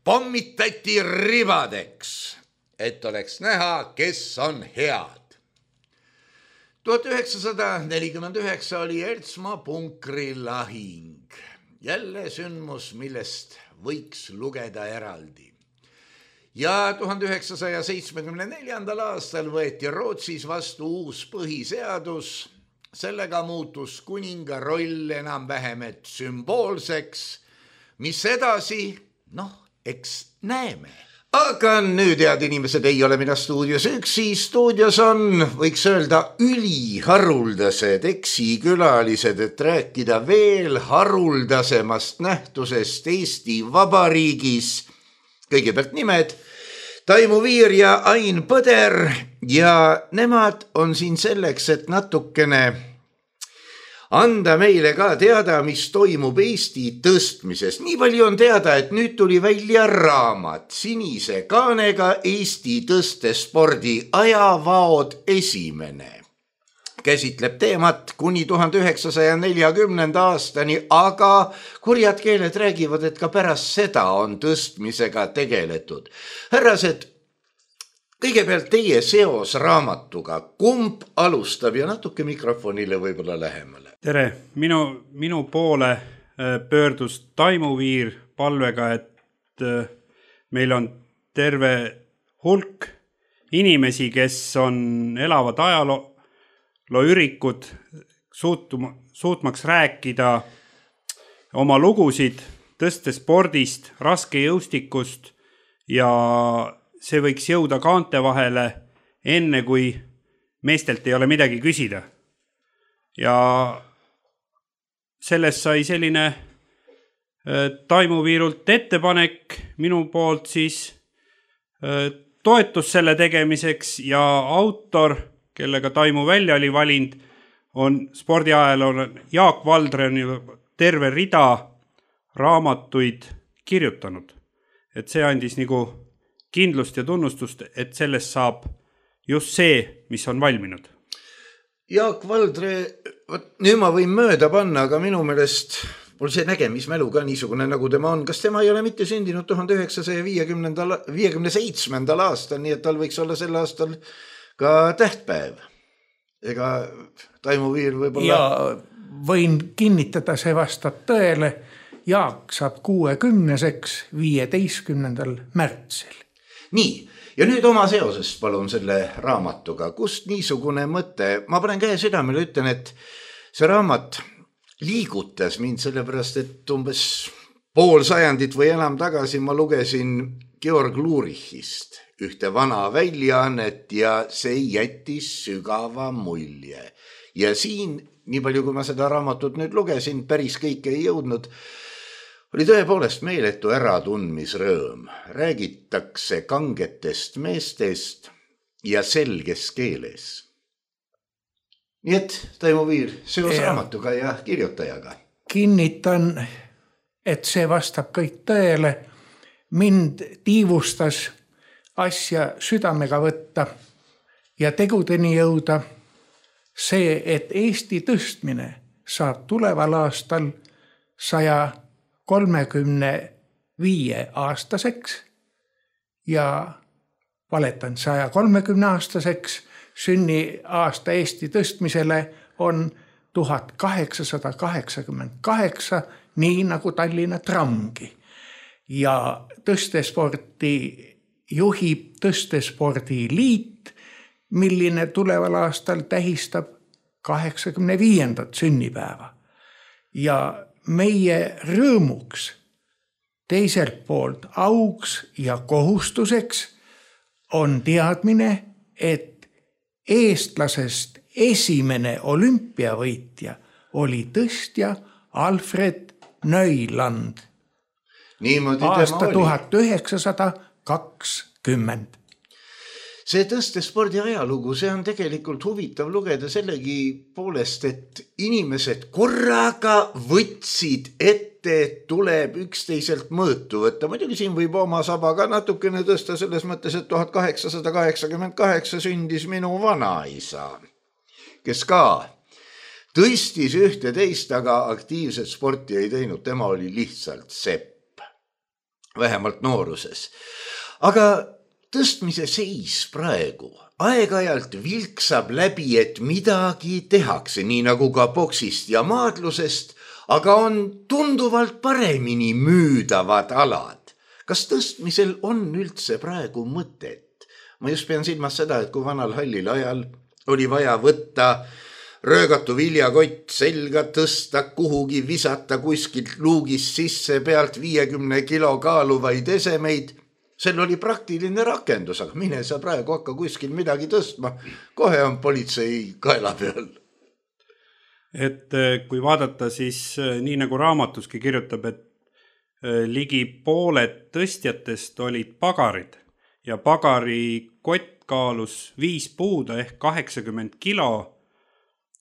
pommitati ribadeks, et oleks näha, kes on head. 1949 oli Ertsmaa punkri lahing. Jälle sündmus, millest võiks lugeda eraldi. Ja 1974. aastal võeti Rootsis vastu uus põhiseadus. Sellega muutus kuninga roll enam-vähem et sümboolseks. Mis edasi? Eks näeme. Aga nüüd, head inimesed, ei ole mina stuudios üksi. Stuudios on, võiks öelda, üliharuldased eksikülalised, et rääkida veel haruldasemast nähtusest Eesti Vabariigis. Kõigepealt nimed Taimu Viir ja Ain Põder ja nemad on siin selleks, et natukene anda meile ka teada, mis toimub Eesti tõstmises. Nii palju on teada, et nüüd tuli välja raamat sinise kaanega Eesti tõstespordi ajavaod esimene. Käsitleb teemat kuni 1940. aastani, aga kurjad keeled räägivad, et ka pärast seda on tõstmisega tegeletud. Härrased, kõigepealt teie seos raamatuga, kumb alustab ja natuke mikrofonile võib-olla lähemale? Tere, minu poole pöördus Taimu Viir palvega, et meil on terve hulk inimesi, kes elavad ajalooürikud, suutmaks rääkida oma lugusid tõstespordist, raskejõustikust ja see võiks jõuda kaante vahele enne, kui meestelt ei ole midagi küsida. Ja sellest sai selline Taimu Viirult ettepanek minu poolt siis toetus selle tegemiseks ja autor, kellega Taimu välja oli valinud, on spordiajaloolane Jaak Valdre, on terve rida raamatuid kirjutanud. Et see andis nagu kindlust ja tunnustust, et sellest saab just see, mis on valminud. Jaak Valdre, nüüd ma võin mööda panna, aga minu meelest mul see nägemismälu ka niisugune, nagu tema on. Kas tema ei ole mitte sündinud 1957. aastal, nii et tal võiks olla sel aastal ka tähtpäev? Ega Taimu Viir võib-olla... Ja võin kinnitada, see vastab tõele. Jaak saab 60-seks 15. märtsil. Nii, ja nüüd oma seosest palun selle raamatuga. Kust niisugune mõte? Ma panen käe südamele, ütlen, et see raamat liigutas mind sellepärast, et umbes pool sajandit või enam tagasi ma lugesin Georg Lurichist ühte vana väljaannet ja see jättis sügava mulje. Ja siin, nii palju kui ma seda raamatut nüüd lugesin, päris kõike ei jõudnud, oli tõepoolest meeletu äratundmisrõõm. Räägitakse kangetest meestest ja selges keeles. Nii et Taimu Viir seos raamatuga ja kirjutajaga. Kinnitan, et see vastab kõik tõele. Mind tiivustas asja südamega võtta ja tegudeni jõuda see, et Eesti tõstmine saab tuleval aastal 135 aastaseks ja valetan 130 aastaseks. Sünniaasta Eesti tõstmisele on 1888, nii nagu Tallinna tramgi. Ja tõstesporti juhib Tõstespordi liit, milline tuleval aastal tähistab 85. sünnipäeva. Ja meie rõõmuks, teiselt poolt auks ja kohustuseks on teadmine, et eestlasest esimene olümpiavõitja oli tõstja Alfred Neuland. Aasta 1920. See tõstespordi ajalugu, see on tegelikult huvitav lugeda sellegi poolest, et inimesed korraga võtsid ette, et tuleb üksteiselt mõõtu võtta. Muidugi siin võib oma saba ka natukene tõsta selles mõttes, et 1888 sündis minu vanaisa, kes ka tõstis ühte teist, aga aktiivset sporti ei teinud. Tema oli lihtsalt sepp, vähemalt nooruses. Aga tõstmise seis praegu aeg-ajalt vilksab läbi, et midagi tehakse, nii nagu ka boksist ja maadlusest, aga on tunduvalt paremini müüdavad alad. Kas tõstmisel on üldse praegu mõtet? Ma just pean silmas seda, et kui vanal hallil ajal oli vaja võtta röögatu viljakott selga, tõsta kuhugi, visata kuskilt luugist sisse pealt 50 kilo kaaluvaid esemeid, sel oli praktiline rakendus, aga mine sa praegu hakka kuskil midagi tõstma. Kohe on politsei kaela peal. Et kui vaadata, siis nii nagu raamatuski kirjutab, et ligi pooled tõstjatest olid pagarid ja pagari kott kaalus 5 puuda ehk 80 kilo.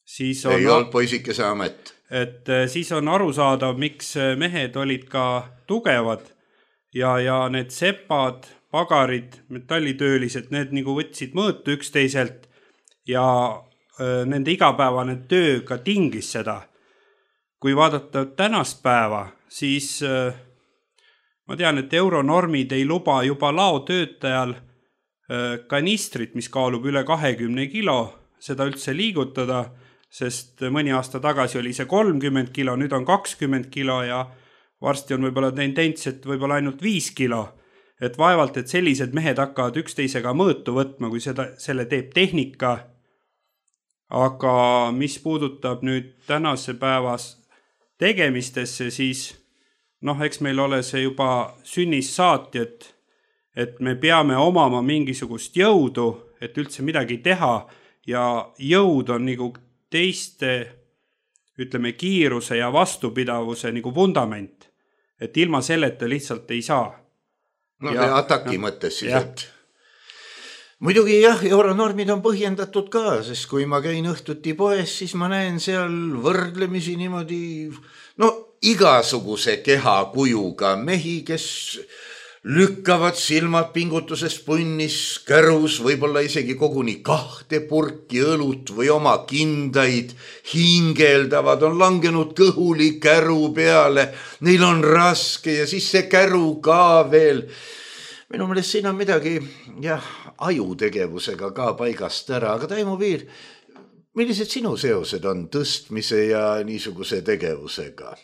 Siis on, ei olnud poisikese amet. Et siis on arusaadav, miks mehed olid ka tugevad ja need sepad, pagarid, metallitöölised, need nagu võtsid mõõtu üksteiselt ja nende igapäevane töö ka tingis seda. Kui vaadata tänast päeva, siis ma tean, et euronormid ei luba juba laotöötajal kanistrit, mis kaalub üle 20 kilo, seda üldse liigutada, sest mõni aasta tagasi oli see 30 kilo, nüüd on 20 kilo ja varsti on võib-olla tendents, et võib-olla ainult 5 kilo. Et vaevalt, et sellised mehed hakkavad üksteisega mõõtu võtma, kui selle teeb tehnika. Aga mis puudutab nüüd tänase päevas tegemistesse, siis eks meil ole see juba sünnis saati, et me peame omama mingisugust jõudu, et üldse midagi teha ja jõud on nagu teiste, ütleme, kiiruse ja vastupidavuse nagu vundament. et ilma selleta lihtsalt ei saa. No ja ataki mõttes siis, et muidugi jah, euronormid on põhjendatud ka, sest kui ma käin õhtuti poes, siis ma näen seal võrdlemisi niimoodi, igasuguse kehakujuga mehi, kes lükkavad silmad pingutusest punnis, kärus, võib-olla isegi koguni 2 purki õlut või oma kindaid, hingeldavad, on langenud kõhuli käru peale, neil on raske ja siis see käru ka veel. Minu meelest siin on midagi ajutegevusega ka paigast ära, aga Taimo Piir, millised sinu seosed on tõstmise ja niisuguse tegevusega?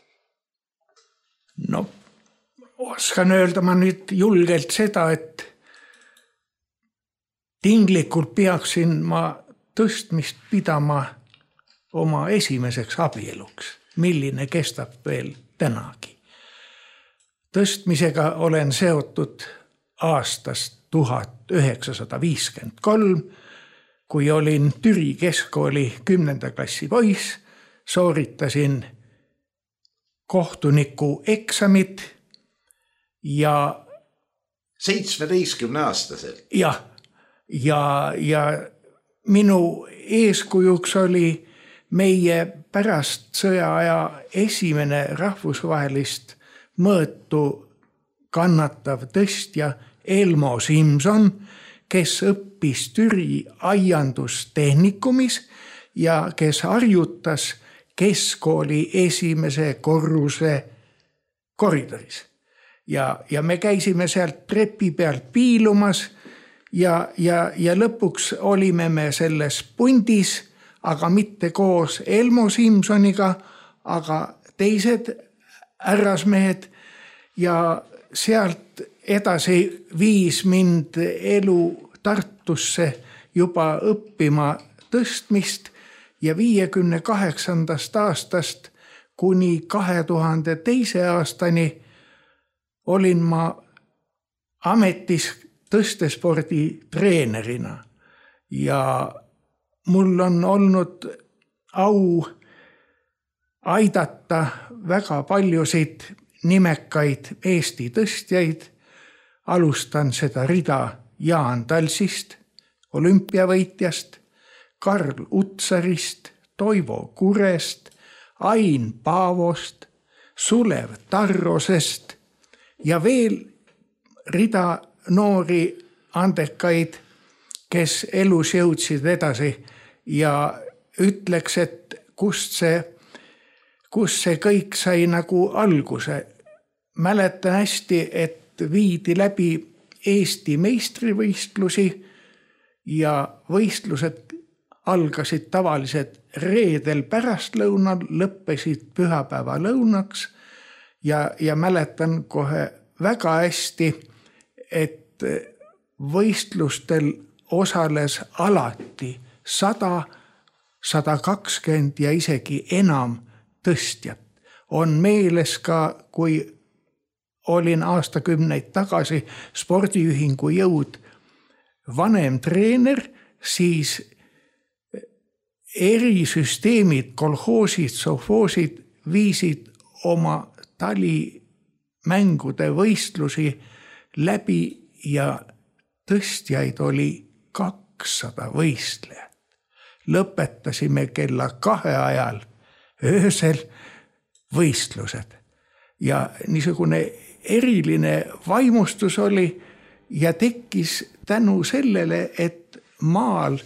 Oskan öelda ma nüüd julgelt seda, et tinglikult peaksin ma tõstmist pidama oma esimeseks abieluks, milline kestab veel tänagi. Tõstmisega olen seotud aastast 1953, kui olin Türi keskkooli 10. klassi poiss, sooritasin kohtuniku eksamid ja 17-aastaselt. Ja minu eeskujuks oli meie pärast sõjaaja esimene rahvusvahelist mõõtu kannatav tõstja Elmo Simson, kes õppis Türi aiandustehnikumis ja kes harjutas keskkooli esimese korruse koridoris. Ja me käisime sealt trepi pealt piilumas ja lõpuks olime me selles pundis, aga mitte koos Elmo Simsoniga, aga teised härrasmehed ja sealt edasi viis mind elu Tartusse juba õppima tõstmist ja 58. aastast kuni 2002. aastani olin ma ametis tõstespordi treenerina ja mul on olnud au aidata väga paljusid nimekaid Eesti tõstjaid. Alustan seda rida Jaan Talsist, olümpiavõitjast, Karl Utsarist, Toivo Kurest, Ain Paavost, Sulev Tarrosest ja veel rida noori andekaid, kes elus jõudsid edasi ja ütleks, et kust see kõik sai nagu alguse. Mäletan hästi, et viidi läbi Eesti meistrivõistlusi ja võistlused algasid tavaliselt reedel pärastlõunal, lõppesid pühapäeva lõunaks ja mäletan kohe väga hästi, et võistlustel osales alati 100, 120 ja isegi enam tõstjat. On meeles ka, kui olin aastakümneid tagasi spordiühingu Jõud vanem treener, siis erisüsteemid, kolhoosid, sovhoosid viisid oma talimängude võistlusi läbi ja tõstjaid oli 200 võistlejat. Lõpetasime kella 2 ajal öösel võistlused ja niisugune eriline vaimustus oli ja tekkis tänu sellele, et maal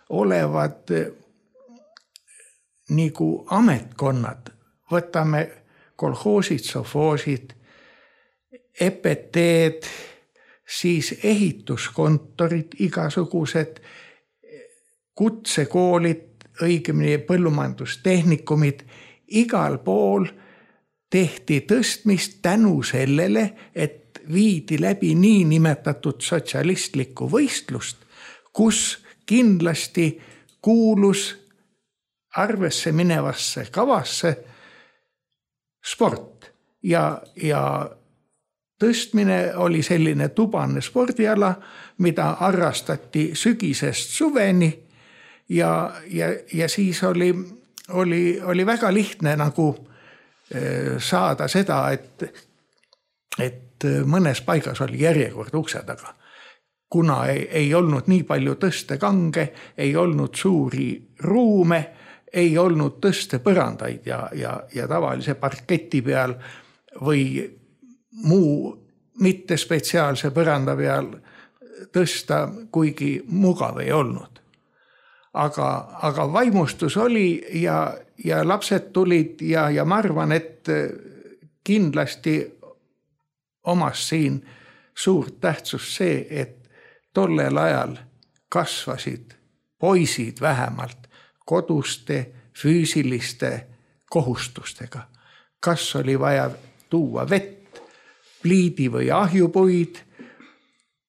olevad nagu ametkonnad, võtame kolhoosid, sovhoosid, EPT-d, siis ehituskontorid, igasugused kutsekoolid, õigemini põllumajandustehnikumid, igal pool tehti tõstmist tänu sellele, et viidi läbi niinimetatud sotsialistlikku võistlust, kus kindlasti kuulus arvesse minevasse kavasse sport ja tõstmine oli selline tubane spordiala, mida harrastati sügisest suveni ja siis oli väga lihtne nagu saada seda, et et mõnes paigas oli järjekord ukse taga. Kuna ei olnud nii palju tõstekange, ei olnud suuri ruume, ei olnud tõstepõrandaid ja tavalise parketi peal või muu mitte spetsiaalse põranda peal tõsta, kuigi mugav ei olnud. Aga vaimustus oli ja lapsed tulid ja ma arvan, et kindlasti omas siin suurt tähtsust see, et tollel ajal kasvasid poisid vähemalt koduste füüsiliste kohustustega. Kas oli vaja tuua vett, pliidi või ahjupuid,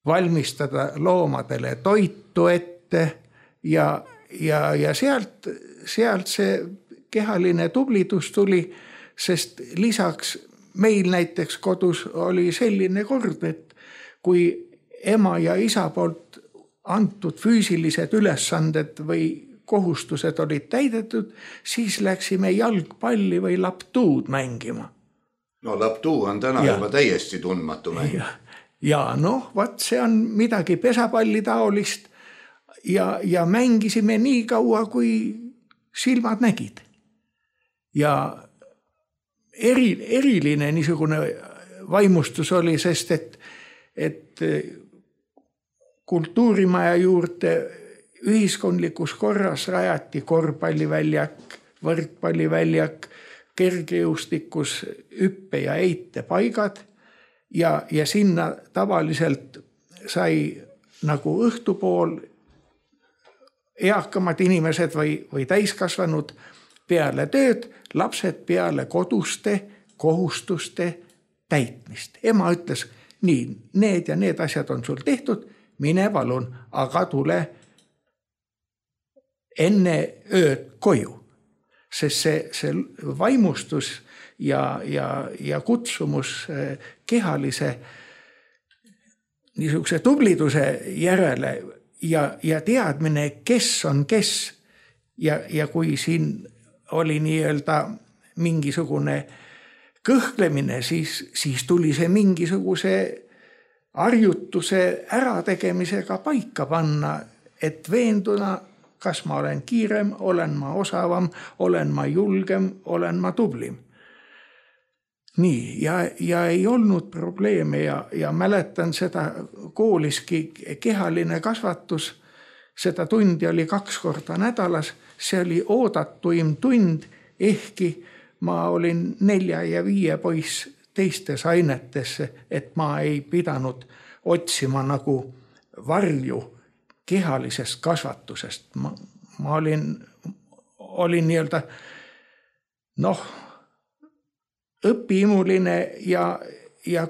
valmistada loomadele toitu ette ja sealt see kehaline tublidus tuli, sest lisaks meil näiteks kodus oli selline kord, et kui ema ja isa poolt antud füüsilised ülesanded või kohustused olid täidetud, siis läksime jalgpalli või laptuud mängima. No laptuu on täna juba täiesti tundmatu mäng. Ja vaat see on midagi pesapalli taolist ja mängisime nii kaua, kui silmad nägid. Ja eriline niisugune vaimustus oli, sest et kultuurimaja juurde ühiskondlikus korras rajati korvpalliväljak, võrkpalliväljak, kergejõustikus hüppe ja eite paigad ja sinna tavaliselt sai nagu õhtupool eakamad inimesed või täiskasvanud peale tööd, lapsed peale koduste kohustuste täitmist. Ema ütles, nii, need ja need asjad on sul tehtud, mine palun, aga tule enne ööd koju. Sest see vaimustus ja kutsumus kehalise niisuguse tubliduse järele ja teadmine, kes on kes ja kui siin oli nii-öelda mingisugune kõhklemine, siis tuli see mingisuguse harjutuse ärategemisega paika panna, et veenduna, kas ma olen kiirem, olen ma osavam, olen ma julgem, olen ma tublim. Nii, ja ei olnud probleeme ja mäletan seda kooliski kehaline kasvatus, seda tundi oli 2 korda nädalas, see oli oodatuim tund, ehkki ma olin 4 ja 5 poiss teistes ainetesse, et ma ei pidanud otsima nagu varju kehalisest kasvatusest. Ma olin nii-öelda õpiimuline ja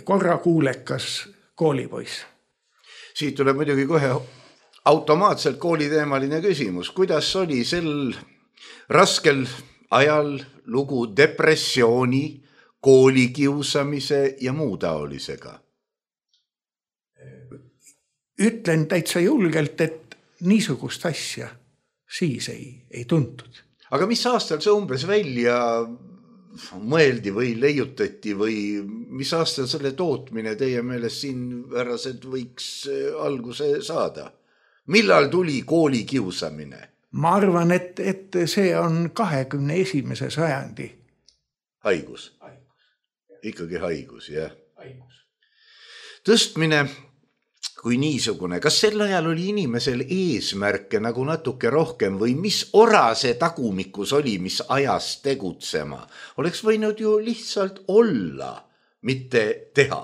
korrakuulekas koolipoiss. Siit tuleb muidugi kohe automaatselt kooliteemaline küsimus. Kuidas oli sel raskel ajal lugu depressiooni, koolikiusamise ja muu taolisega? Ütlen täitsa julgelt, et niisugust asja siis ei tuntud. Aga mis aastal see umbes välja mõeldi või leiutati või mis aastal selle tootmine teie meelest siin värrased võiks alguse saada? Millal tuli koolikiusamine? Ma arvan, et see on 21. sajandi. Haigus. Ikkagi haigus, jah. Tõstmine kui niisugune, kas sel ajal oli inimesel eesmärke nagu natuke rohkem või mis ora see tagumikus oli, mis ajas tegutsema? Oleks võinud ju lihtsalt olla, mitte teha.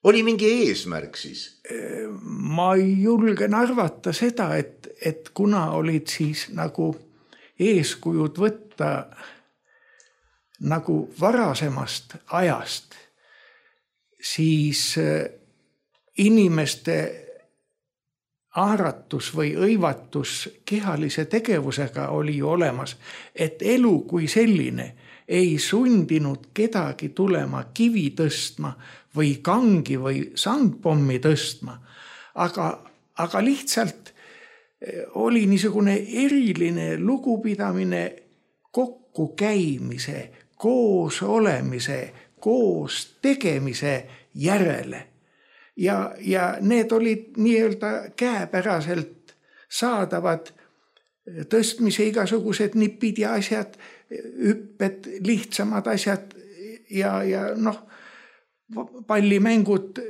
Oli mingi eesmärk siis? Ma julgen arvata seda, et kuna olid siis nagu eeskujud võtta nagu varasemast ajast, siis inimeste aaratus või õivatus kehalise tegevusega oli ju olemas, et elu kui selline ei sundinud kedagi tulema kivi tõstma või kangi või sandpommi tõstma, aga lihtsalt oli niisugune eriline lugupidamine kokku kokku käimise, koos olemise, koos tegemise järele. Ja need olid nii-öelda käepäraselt saadavad tõstmise igasugused nipid ja asjad, hüpped, lihtsamad asjad ja pallimängud,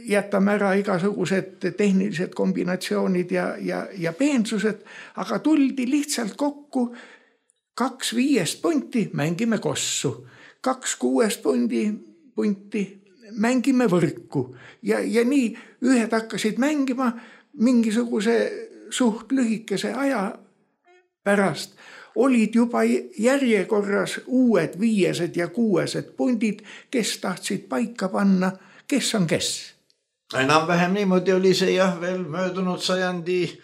jätame ära igasugused tehnilised kombinatsioonid ja peensused, aga tuldi lihtsalt kokku 2 5 punti, mängime kossu, 2 6 punti, mängime võrku ja nii ühed hakkasid mängima mingisuguse suht lühikese aja pärast olid juba järjekorras uued 5 ja 6 pundid, kes tahtsid paika panna, kes on kes. Enam-vähem niimoodi oli see jah veel möödunud sajandi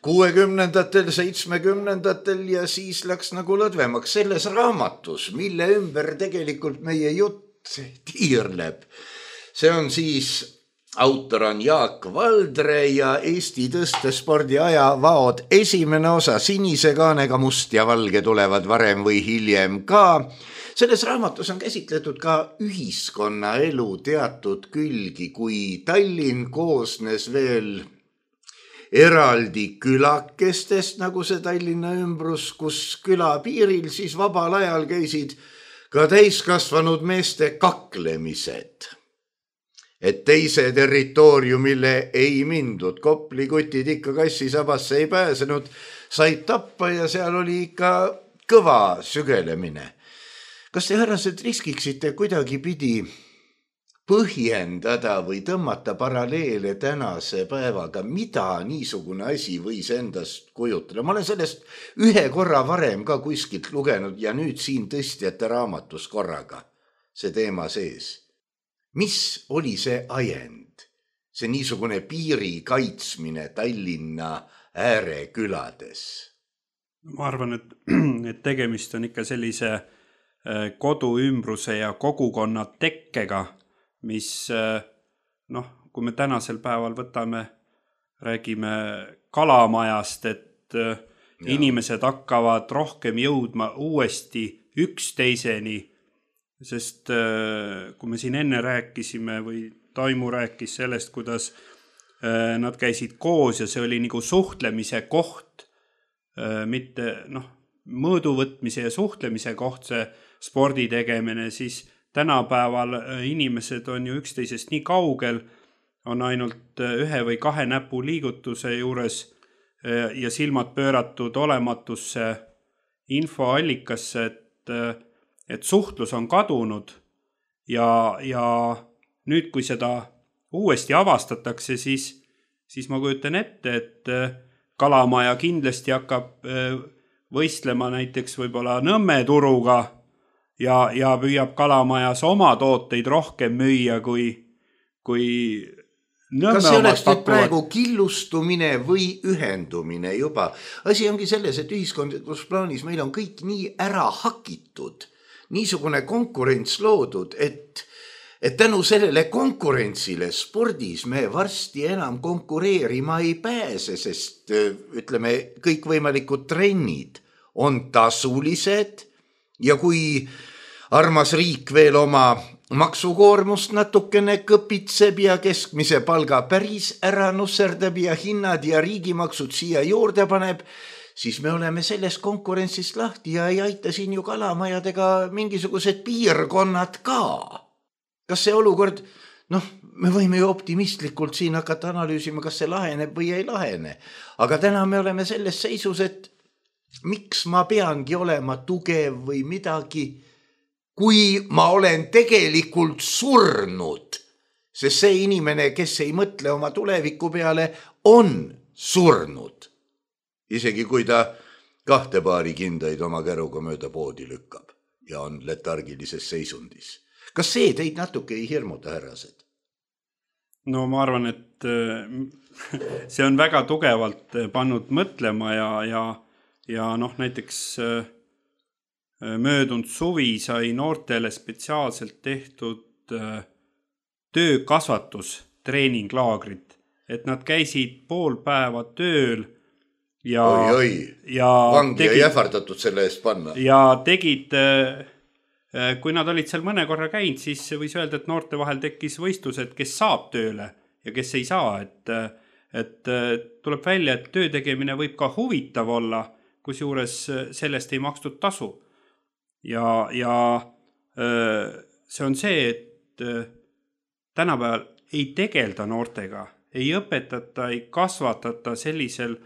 60-ndatel, 70-ndatel ja siis läks nagu lõdvemaks selles raamatus, mille ümber tegelikult meie jutt tiirleb. See on siis, autor on Jaak Valdre ja Eesti tõstespordi ajavaod esimene osa, sinise kaanega must ja valge tulevad varem või hiljem ka. Selles raamatus on käsitletud ka ühiskonnaelu teatud külgi, kui Tallinn koosnes veel eraldi külakestest, nagu see Tallinna ümbrus, kus küla piiril siis vabal ajal käisid ka täiskasvanud meeste kaklemised. Et teise territooriumile ei mindud, koplikutid ikka kassisabasse ei pääsenud, said tappa ja seal oli ikka kõva sügelemine. Kas te härrased riskiksite kuidagi pidi põhjendada või tõmmata paralleele tänase päevaga, mida niisugune asi võis endast kujutada? Ma olen sellest ühe korra varem ka kuskilt lugenud ja nüüd siin tõstjate raamatus korraga see teema sees. Mis oli see ajend? See niisugune piiri kaitsmine Tallinna äärekülades? Ma arvan, et tegemist on ikka sellise koduümbruse ja kogukonna tekkega, mis, kui me tänasel päeval räägime kalamajast, et inimesed hakkavad rohkem jõudma uuesti üksteiseni, sest kui me siin enne rääkisime või Taimu rääkis sellest, kuidas nad käisid koos ja see oli nagu suhtlemise koht, mitte mõõduvõtmise ja suhtlemise koht, see spordi tegemine, siis tänapäeval inimesed on ju üksteisest nii kaugel, on ainult 1 või 2 näpu liigutuse juures ja silmad pööratud olematusse infoallikasse, et suhtlus on kadunud ja nüüd, kui seda uuesti avastatakse, siis ma kujutan ette, et kalamaja kindlasti hakkab võistlema näiteks võib-olla Nõmme turuga ja püüab kalamajas oma tooteid rohkem müüa kui Nõmme. Kas see oleks nüüd praegu killustumine või ühendumine juba? Asi ongi selles, et ühiskondlikus plaanis meil on kõik nii ära hakitud, niisugune konkurents loodud, et tänu sellele konkurentsile spordis me varsti enam konkureerima ei pääse, sest ütleme, kõikvõimalikud trennid on tasulised ja kui armas riik veel oma maksukoormust natukene kõpitseb ja keskmise palga päris ära nusserdab ja hinnad ja riigimaksud siia juurde paneb, siis me oleme sellest konkurentsist lahti ja ei aita siin ju kalamajadega mingisugused piirkonnad ka. Kas see olukord, me võime ju optimistlikult siin hakata analüüsima, kas see laheneb või ei lahene, aga täna me oleme selles seisus, et miks ma peangi olema tugev või midagi, kui ma olen tegelikult surnud, sest see inimene, kes ei mõtle oma tuleviku peale, on surnud. Isegi kui ta 2 paari kindaid oma käruga mööda poodi lükkab ja on letargilises seisundis. Kas see teid natuke ei hirmuta, härrased? No ma arvan, et see on väga tugevalt pannud mõtlema ja näiteks möödunud suvi sai noortele spetsiaalselt tehtud töökasvatus treeninglaagrit, et nad käisid pool päeva tööl vangi ei ähvardatud selle eest panna. Ja tegid, kui nad olid seal mõne korra käinud, siis võis öelda, et noorte vahel tekkis võistlused, kes saab tööle ja kes ei saa. Et tuleb välja, et töö tegemine võib ka huvitav olla, kus juures sellest ei makstud tasu. Ja see on see, et tänapäeval ei tegelda noortega, ei õpetata, ei kasvatata sellisel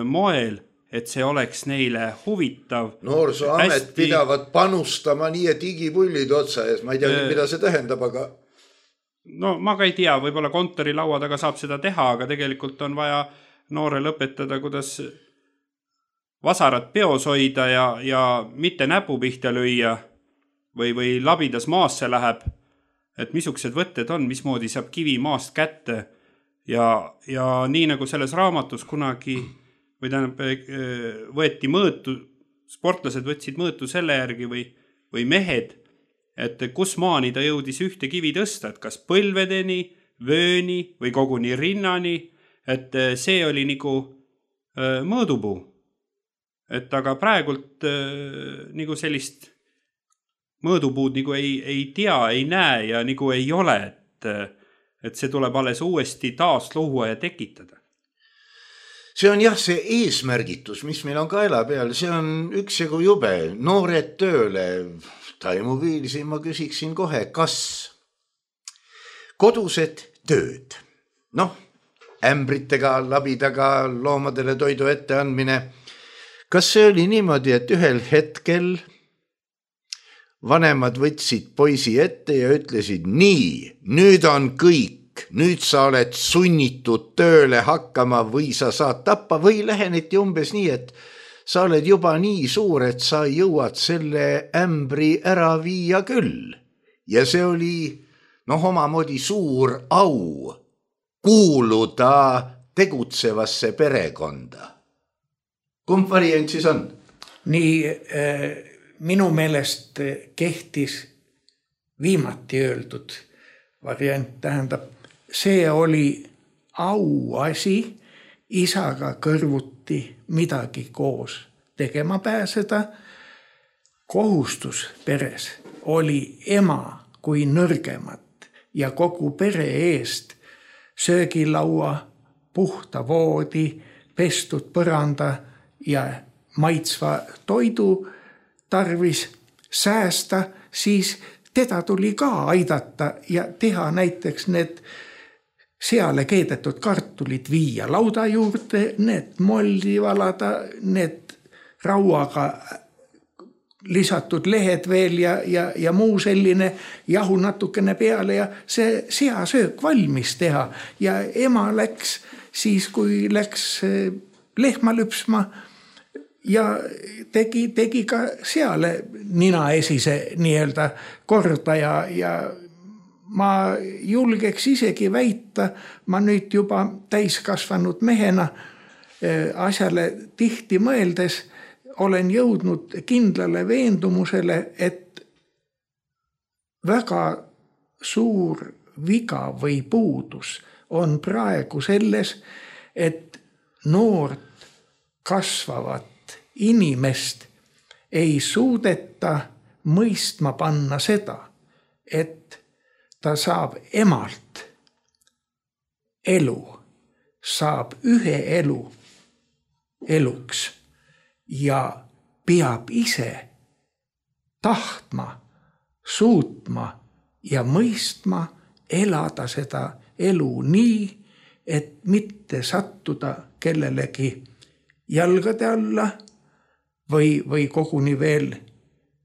moel, et see oleks neile huvitav. Noorsooamet pidavad panustama nii, et igipullid otsa ees. Ma ei tea, mida see tähendab, aga... No ma ka ei tea, võib-olla kontori laua taga saab seda teha, aga tegelikult on vaja noorel õpetada, kuidas vasarat peos hoida ja mitte näpu pihta lüüa või labidas maasse läheb, et missugused võtted on, mismoodi saab kivi maast kätte ja nii nagu selles raamatus kunagi või tähendab, võeti mõõtu, sportlased võtsid mõõtu selle järgi või mehed, et kus maani ta jõudis ühte kivi tõsta, et kas põlvedeni, vööni või koguni rinnani, et see oli nagu mõõdupuu. Et aga praegult nagu sellist mõõdupuud nagu ei tea, ei näe ja nagu ei ole, et see tuleb alles uuesti taas luua ja tekitada. See on jah, see eesmärgitus, mis meil on kaela peal, see on üksjagu jube. Noored tööle, Taimu Viilsi ma küsiksin kohe, kas kodused tööd, ämbritega, labidaga, loomadele toidu ette andmine, kas see oli niimoodi, et ühel hetkel vanemad võtsid poisi ette ja ütlesid, nii, nüüd on kõik, nüüd sa oled sunnitud tööle hakkama või sa saad tappa või läheneti umbes nii, et sa oled juba nii suur, et sa jõuad selle ämbri ära viia küll. Ja see oli omamoodi suur au kuuluda tegutsevasse perekonda. Kumb variant siis on? Nii minu meelest kehtis viimati öeldud variant, tähendab, see oli auasi isaga kõrvuti midagi koos tegema pääseda. Kohustus peres oli ema kui nõrgemat ja kogu pere eest söögilaua, puhta voodi, pestud põranda ja maitsva toidu tarvis säästa, siis teda tuli ka aidata ja teha näiteks need seale keedetud kartulid viia lauda juurde, need molli valada, need rauaga lisatud lehed veel ja muu selline jahu natukene peale ja see seasöök valmis teha. Ja ema läks siis, kui läks lehma lüpsma ja tegi ka seale nina esise nii-öelda korda ja ma julgeks isegi väita, ma nüüd juba täiskasvanud mehena asjale tihti mõeldes olen jõudnud kindlale veendumusele, et väga suur viga või puudus on praegu selles, et noort kasvavat inimest ei suudeta mõistma panna seda, et ta saab emalt elu, saab ühe eluks ja peab ise tahtma, suutma ja mõistma elada seda elu nii, et mitte sattuda kellelegi jalgade alla või koguni veel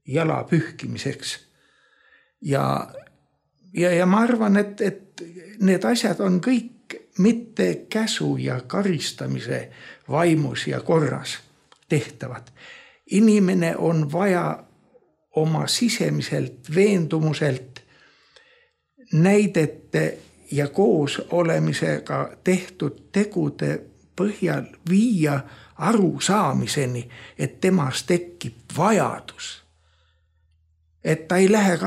jala pühkimiseks. Ja ma arvan, et need asjad on kõik mitte käsu ja karistamise vaimus ja korras tehtavad. Inimene on vaja oma sisemiselt veendumuselt näidete ja koos olemisega tehtud tegude põhjal viia arusaamiseni, et temas tekib vajadus. Et ta ei lähe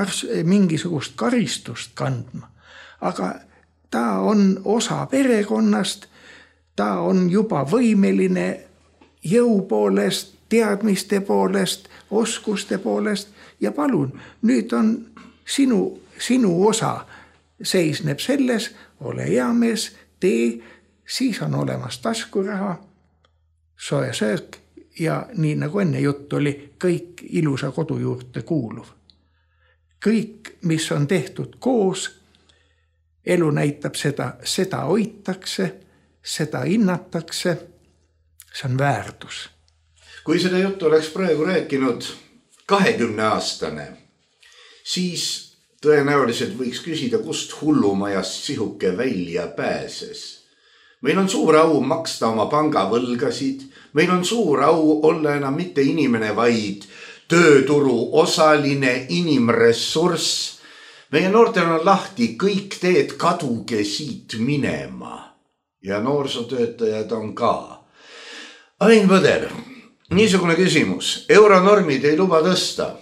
mingisugust karistust kandma, aga ta on osa perekonnast, ta on juba võimeline jõu poolest, teadmiste poolest, oskuste poolest ja palun, nüüd on sinu osa seisneb selles, ole hea mees, tee, siis on olemas taskuraha, soe söök ja nii nagu enne jutt oli, kõik ilusa kodu juurde kuuluv. Kõik, mis on tehtud koos, elu näitab seda hoitakse, seda hinnatakse, see on väärtus. Kui seda juttu oleks praegu rääkinud 20-aastane, siis tõenäoliselt võiks küsida, kust hullumajast sihuke välja pääses. Meil on suur au maksta oma pangavõlgasid, meil on suur au olla enam mitte inimene, vaid tööturu osaline inimressurss. Meie noortel on lahti, kõik teed kaduge siit minema ja noorsootöötajad on ka. Ain Põder, niisugune küsimus. Euronormid ei luba tõsta.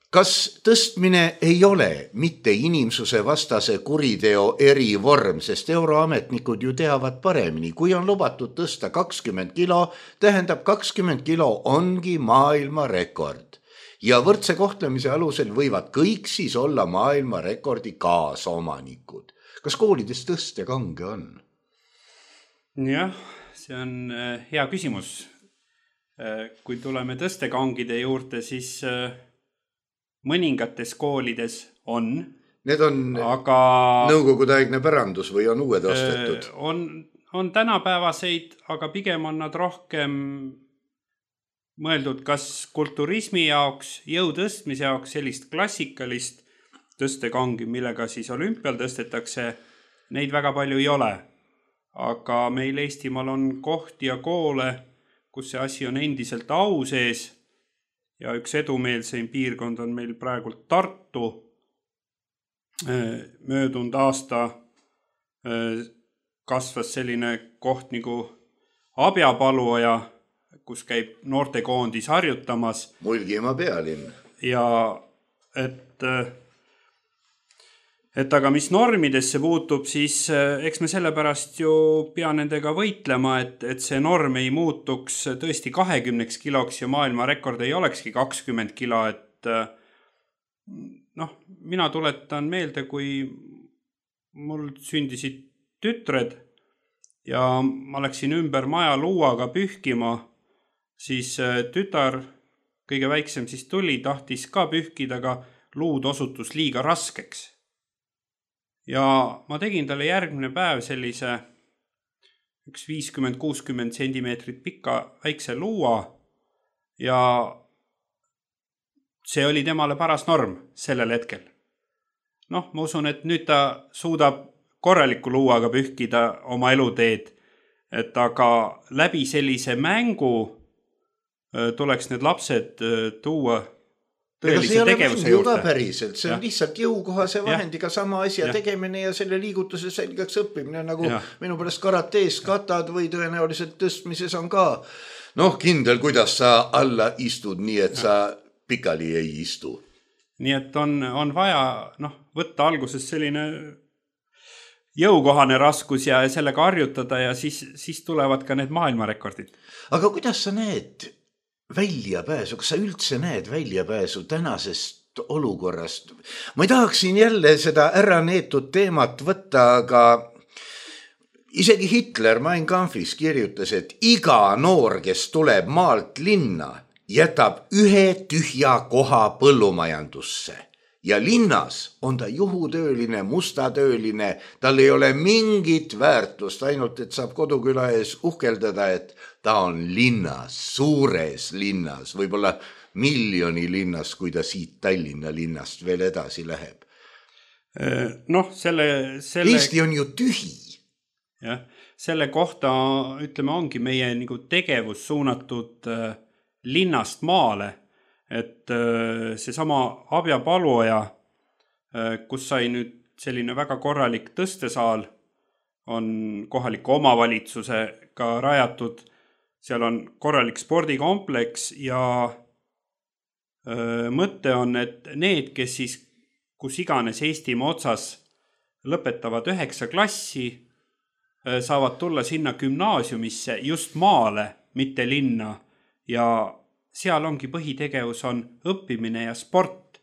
Kas tõstmine ei ole mitte inimsuse vastase kuriteo erivorm, sest euroametnikud ju teavad paremini. Kui on lubatud tõsta 20 kilo, tähendab 20 kilo ongi maailmarekord. Ja võrdse kohtlemise alusel võivad kõik siis olla maailmarekordi kaasomanikud. Kas koolides tõstekange on? Jah, see on hea küsimus. Kui tuleme tõstekangide juurde, siis mõningates koolides on. Need on aga nõukogudeaegne pärandus või on uued ostetud? On tänapäevaseid, aga pigem on nad rohkem mõeldud kas kulturismi jaoks, jõu tõstmise jaoks, sellist klassikalist tõstekangi, millega siis olümpial tõstetakse, neid väga palju ei ole. Aga meil Eestimaal on kohti ja koole, kus see asi on endiselt au sees ja üks edumeelseim piirkond on meil praegult Tartu. Möödunud aasta kasvas selline koht nagu Abjapaluoja, kus käib noortekoondis harjutamas. Mulgimaa pealinn. Ja et aga mis normidesse puutub, siis eks me sellepärast ju pea nendega võitlema, et see norm ei muutuks tõesti 20 kiloks ja maailmarekord ei olekski 20 kilo, et mina tuletan meelde, kui mul sündisid tütred ja ma läksin ümber maja luuaga pühkima, siis tütar, kõige väiksem siis tuli, tahtis ka pühkida, aga luud osutus liiga raskeks. Ja ma tegin talle järgmine päev sellise üks 50-60 sentimeetrit pikka väikse luua ja see oli temale paras norm sellel hetkel. Ma usun, et nüüd ta suudab korraliku luuaga pühkida oma eluteed, et aga läbi sellise mängu tuleks need lapsed tuua tõelise tegevuse juurde. Päriselt. See on lihtsalt jõukohase vahendiga sama asja tegemine ja selle liigutuse selgeks õppimine, nagu minu pärast karatees katad või tõenäoliselt tõstmises on ka kindel, kuidas sa alla istud, nii et sa pikali ei istu. Nii et on vaja võtta alguses selline jõukohane raskus ja sellega harjutada ja siis tulevad ka need maailmarekordid. Aga kuidas sa näed väljapääsu, kas sa üldse näed väljapääsu tänasest olukorrast? Ma ei tahaksin jälle seda ära neetud teemat võtta, aga isegi Hitler Mein Kampfis kirjutas, et iga noor, kes tuleb maalt linna, jätab ühe tühja koha põllumajandusse. Ja linnas on ta juhutööline, mustatööline, tal ei ole mingit väärtust, ainult et saab koduküla ees uhkeldada, et ta on linnas, suures linnas, võib-olla miljoni linnas, kui ta siit Tallinna linnast veel edasi läheb. Eesti on ju tühi. Jah, selle kohta, ütleme, ongi meie tegevus suunatud linnast maale. Et see sama Abjapaluoja, kus sai nüüd selline väga korralik tõstesaal, on kohaliku omavalitsusega rajatud, seal on korralik spordikompleks ja mõte on, et need, kes siis kus iganes Eestimaa otsas lõpetavad 9 klassi, saavad tulla sinna gümnaasiumisse just maale, mitte linna ja seal ongi põhitegevus on õppimine ja sport,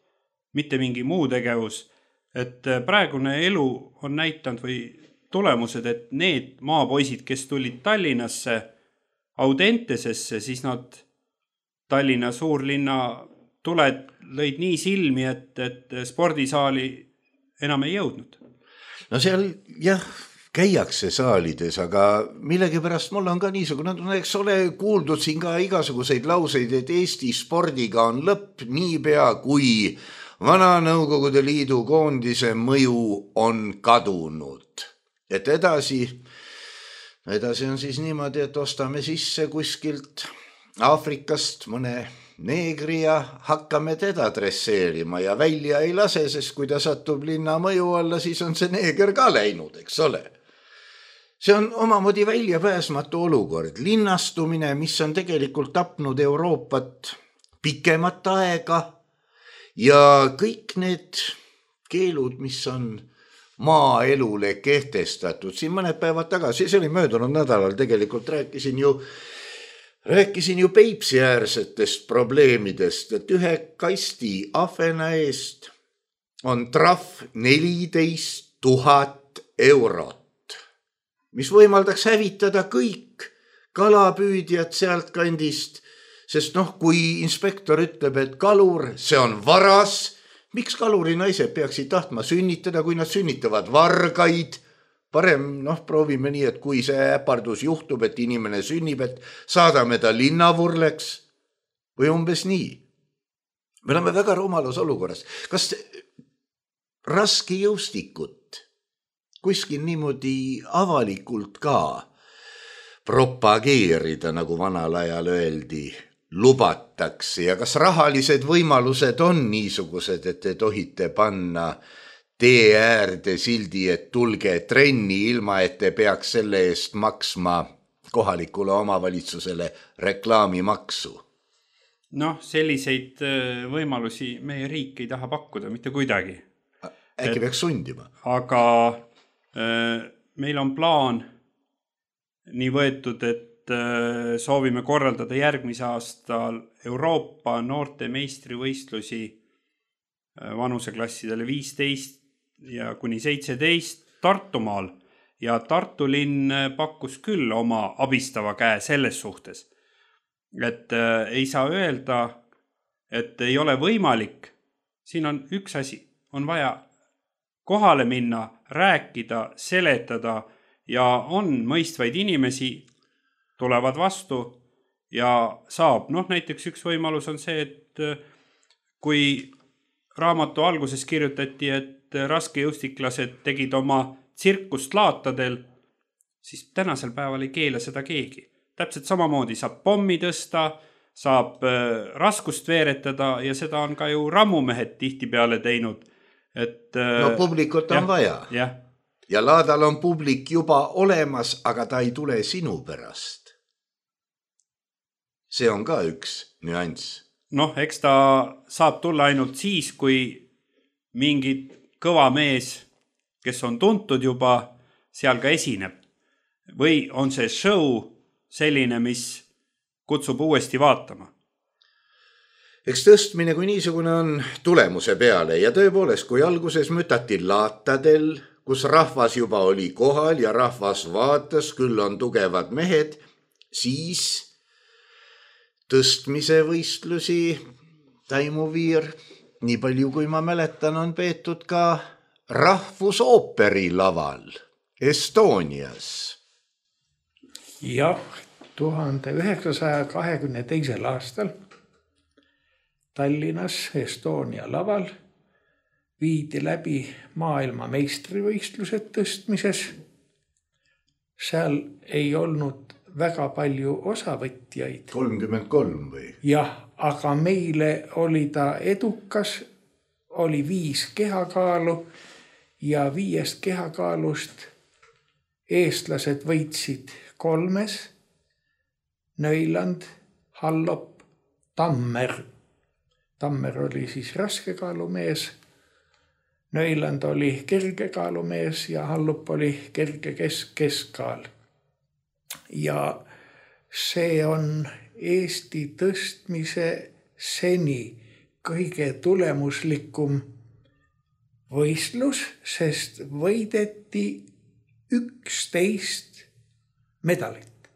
mitte mingi muu tegevus. Et praegune elu on näitanud või tulemused, et need maapoisid, kes tulid Tallinnasse Audentesesse, siis nad Tallinna suurlinna tuled lõid nii silmi, et spordisaali enam ei jõudnud. No seal jah, käiakse saalides, aga millegipärast mul on ka niisugune, eks ole kuuldud siin ka igasuguseid lauseid, et Eesti spordiga on lõpp niipea, kui vana Nõukogude Liidu koondise mõju on kadunud. Et edasi on siis niimoodi, et ostame sisse kuskilt Aafrikast mõne neegri ja hakkame teda dresseerima ja välja ei lase, sest kui ta satub linna mõju alla, siis on see neeger ka läinud, eks ole. See on omamoodi väljapääsmatu olukord. Linnastumine, mis on tegelikult tapnud Euroopat pikemat aega ja kõik need keelud, mis on maaelule kehtestatud. Siin mõned päevad tagasi, see oli möödunud nädalal, tegelikult rääkisin ju Peipsi-äärsetest probleemidest, et ühe kasti ahvena eest on trahv 14 000 eurot, mis võimaldaks hävitada kõik kalapüüdjad sealt kandist, sest kui inspektor ütleb, et kalur, see on varas, miks kaluri naised peaksid tahtma sünnitada, kui nad sünnitavad vargaid? Parem proovime nii, et kui see äpardus juhtub, et inimene sünnib, et saadame ta linnavurleks või umbes nii. Me oleme väga rumalas olukorras. Kas raske jõustikut kuskil niimoodi avalikult ka propageerida, nagu vanal ajal öeldi, lubatakse ja kas rahalised võimalused on niisugused, et te tohite panna tee äärde sildi, et tulge trenni, ilma et te peaks selle eest maksma kohalikule omavalitsusele reklaamimaksu? Selliseid võimalusi meie riik ei taha pakkuda mitte kuidagi. Äkki peaks sundima? Aga meil on plaan nii võetud, et soovime korraldada järgmise aastal Euroopa noorte meistrivõistlusi vanuseklassidele 15 ja kuni 17 Tartumaal ja Tartu linn pakkus küll oma abistava käe selles suhtes, et ei saa öelda, et ei ole võimalik. Siin on üks asi, on vaja kohale minna, rääkida, seletada ja on mõistvaid inimesi, tulevad vastu ja saab. Näiteks üks võimalus on see, et kui raamatu alguses kirjutati, et raskejõustiklased tegid oma tsirkust laatadel, siis tänasel päeval ei keela seda keegi. Täpselt samamoodi saab pommi tõsta, saab raskust veeretada ja seda on ka ju rammumehed tihtipeale teinud. Publikut on vaja. Ja laadal on publik juba olemas, aga ta ei tule sinu pärast. See on ka üks nüanss. Eks ta saab tulla ainult siis, kui mingid kõva mees, kes on tuntud juba, seal ka esineb. Või on see show selline, mis kutsub uuesti vaatama? Eks tõstmine kui niisugune on tulemuse peale ja tõepoolest, kui alguses mütati laatadel, kus rahvas juba oli kohal ja rahvas vaatas, küll on tugevad mehed, siis tõstmise võistlusi Taimuviir, nii palju kui ma mäletan, on peetud ka Rahvusooperi laval Estonias. Jah, 1922. aastal Tallinnas Estonia laval viidi läbi maailma meistrivõistlused tõstmises. Seal ei olnud väga palju osavõtjaid. 33 või? Jah, aga meile oli ta edukas, oli 5 kehakaalu ja 5 kehakaalust eestlased võitsid 3. Nõiland, Hallop, Tammer. Tammer oli siis raskekaalumees, Nõiland oli kergekaalumees ja Hallop oli kerge keskkaal. Ja see on Eesti tõstmise seni kõige tulemuslikum võistlus, sest võideti 11 medalit.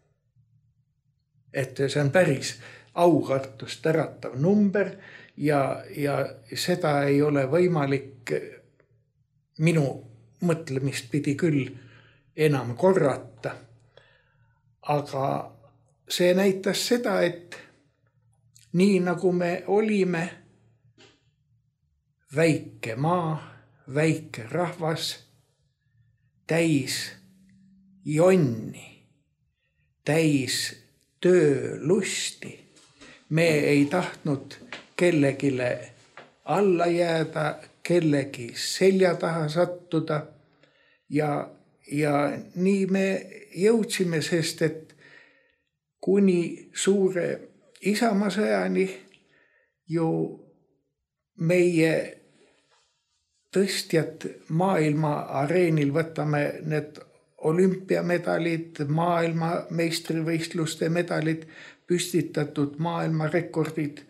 Et see on päris aukartust äratav number ja seda ei ole võimalik minu mõtlemist pidi küll enam korrata. Aga see näitas seda, et nii nagu me olime väike maa, väike rahvas, täis jonni, täis töölusti. Me ei tahtnud kellegile alla jääda, kellegi selja taha sattuda ja nii me jõudsime, sest et kuni suure isamaasõjani ju meie tõstjad maailma areenil, võtame need olümpiamedalid, maailma meistrivõistluste medalid, püstitatud maailmarekordid.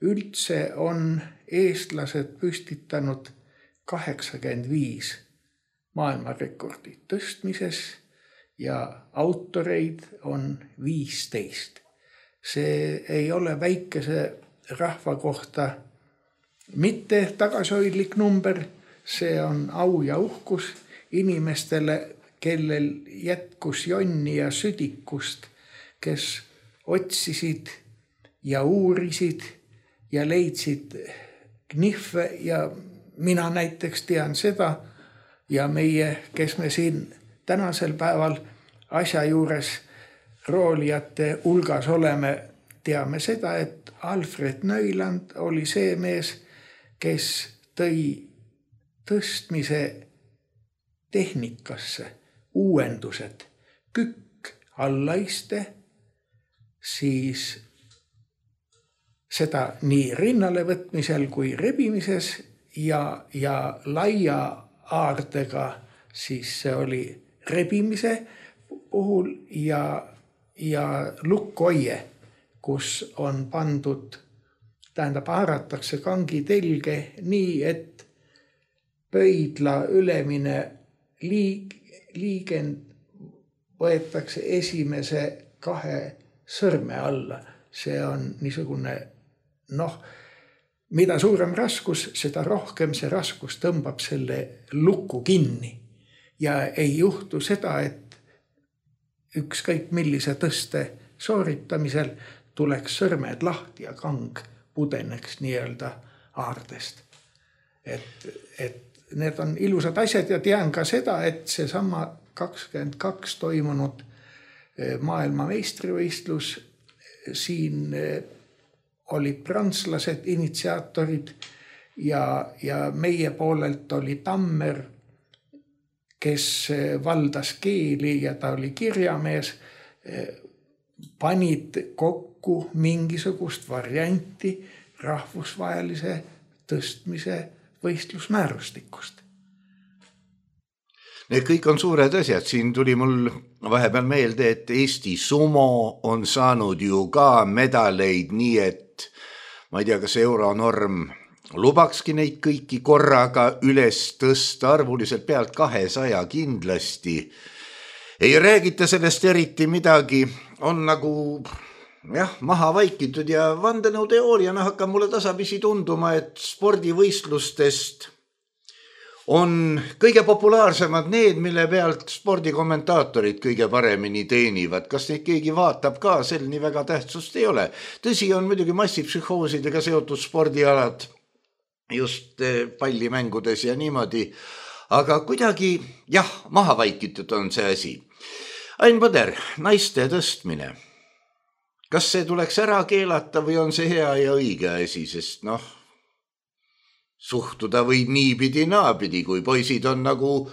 Üldse on eestlased püstitanud 85 maailmarekordid tõstmises ja autoreid on 15. See ei ole väikese rahva kohta mitte tagasihoidlik number, see on au ja uhkus inimestele, kellel jätkus jonni ja südikust, kes otsisid ja uurisid ja leidsid knihve ja mina näiteks tean seda ja meie, kes me siin tänasel päeval asja juures roolijate hulgas oleme, teame seda, et Alfred Neuland oli see mees, kes tõi tõstmise tehnikasse uuendused, kükk allaiste, siis seda nii rinnale võtmisel kui rebimises ja laia aardega, siis see oli rebimise puhul ja lukkoie, kus on pandud, haaratakse kangi telge nii, et pöidla ülemine liigend võetakse esimese 2 sõrme alla. See on niisugune, mida suurem raskus, seda rohkem see raskus tõmbab selle lukku kinni. Ja ei juhtu seda, et ükskõik millise tõste sooritamisel tuleks sõrmed lahti ja kang pudeneks nii-öelda aardest. Et need on ilusad asjad ja tean ka seda, et see sama 22 toimunud maailma meistrivõistlus, siin olid prantslased initsiaatorid ja meie poolelt oli Tammer, kes valdas keeli ja ta oli kirjamees, panid kokku mingisugust varianti rahvusvahelise tõstmise võistlusmäärustikust. Need kõik on suured asjad. Siin tuli mul vahepeal meelde, et Eesti sumo on saanud ju ka medaleid, nii et ma ei tea, kas euronorm lubakski neid kõiki korraga üles tõsta, arvuliselt pealt 200 kindlasti. Ei räägita sellest eriti midagi, on nagu maha vaikitud ja vandenõuteooriana hakkab mulle tasapisi tunduma, et spordivõistlustest on kõige populaarsemad need, mille pealt spordikommentaatorid kõige paremini teenivad. Kas neid keegi vaatab ka, sel nii väga tähtsust ei ole. Tõsi on muidugi massipsühhoosidega seotud spordialad, just pallimängudes ja niimoodi, aga kuidagi, maha vaikitud on see asi. Ain Põder, naiste tõstmine. Kas see tuleks ära keelata või on see hea ja õige asi, sest suhtuda võib niipidi naapidi, kui poisid on nagu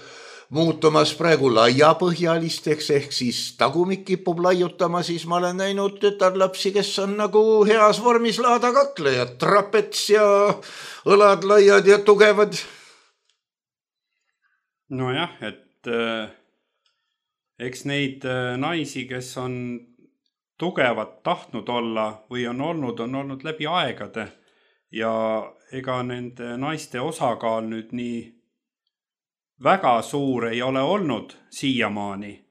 muutumas praegu laiapõhjalisteks, ehk siis tagumik kipub laiutama, siis ma olen näinud tütarlapsi, kes on nagu heas vormis laadakaklejad, trapets ja õlad laiad ja tugevad. Nojah, et eks neid naisi, kes on tugevad tahtnud olla või on olnud läbi aegade ja ega nende naiste osakaal nüüd nii väga suur ei ole olnud siiamaani,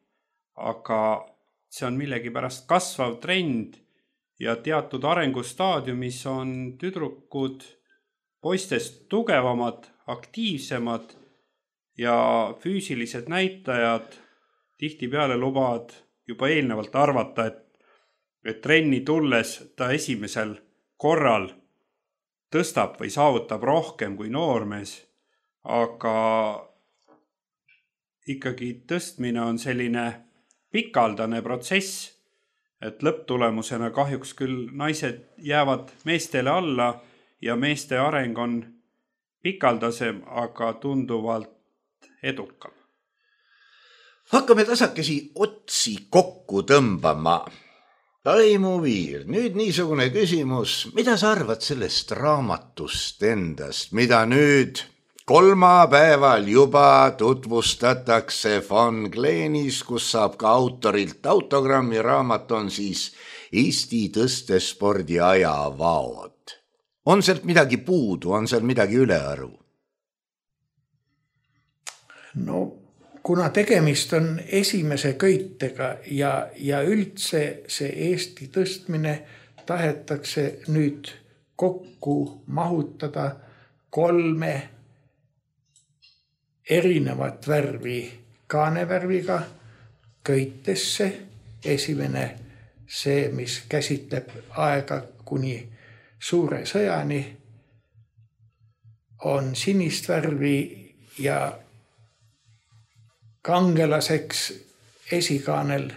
aga see on millegipärast kasvav trend ja teatud arengustaadiumis on tüdrukud poistest tugevamad, aktiivsemad ja füüsilised näitajad tihtipeale lubavad juba eelnevalt arvata, et trenni tulles ta esimesel korral tõstab või saavutab rohkem kui noormees, aga ikkagi tõstmine on selline pikaldane protsess, et lõpptulemusena kahjuks küll naised jäävad meestele alla ja meeste areng on pikaldasem, aga tunduvalt edukam. Hakkame tasakesi otsi kokku tõmbama. Taimu Viir, nüüd niisugune küsimus, mida sa arvad sellest raamatust endast, mida nüüd kolmapäeval juba tutvustatakse Von Gleenis, kus saab ka autorilt autogrammi, raamat on siis Eesti tõstespordi ajavaod. On sealt midagi puudu, on seal midagi ülearu? No kuna tegemist on esimese köitega ja üldse see Eesti tõstmine tahetakse nüüd kokku mahutada 3 erinevat värvi kaanevärviga köitesse. Esimene see, mis käsitleb aega kuni suure sõjani, on sinist värvi ja kangelaseks esikaanel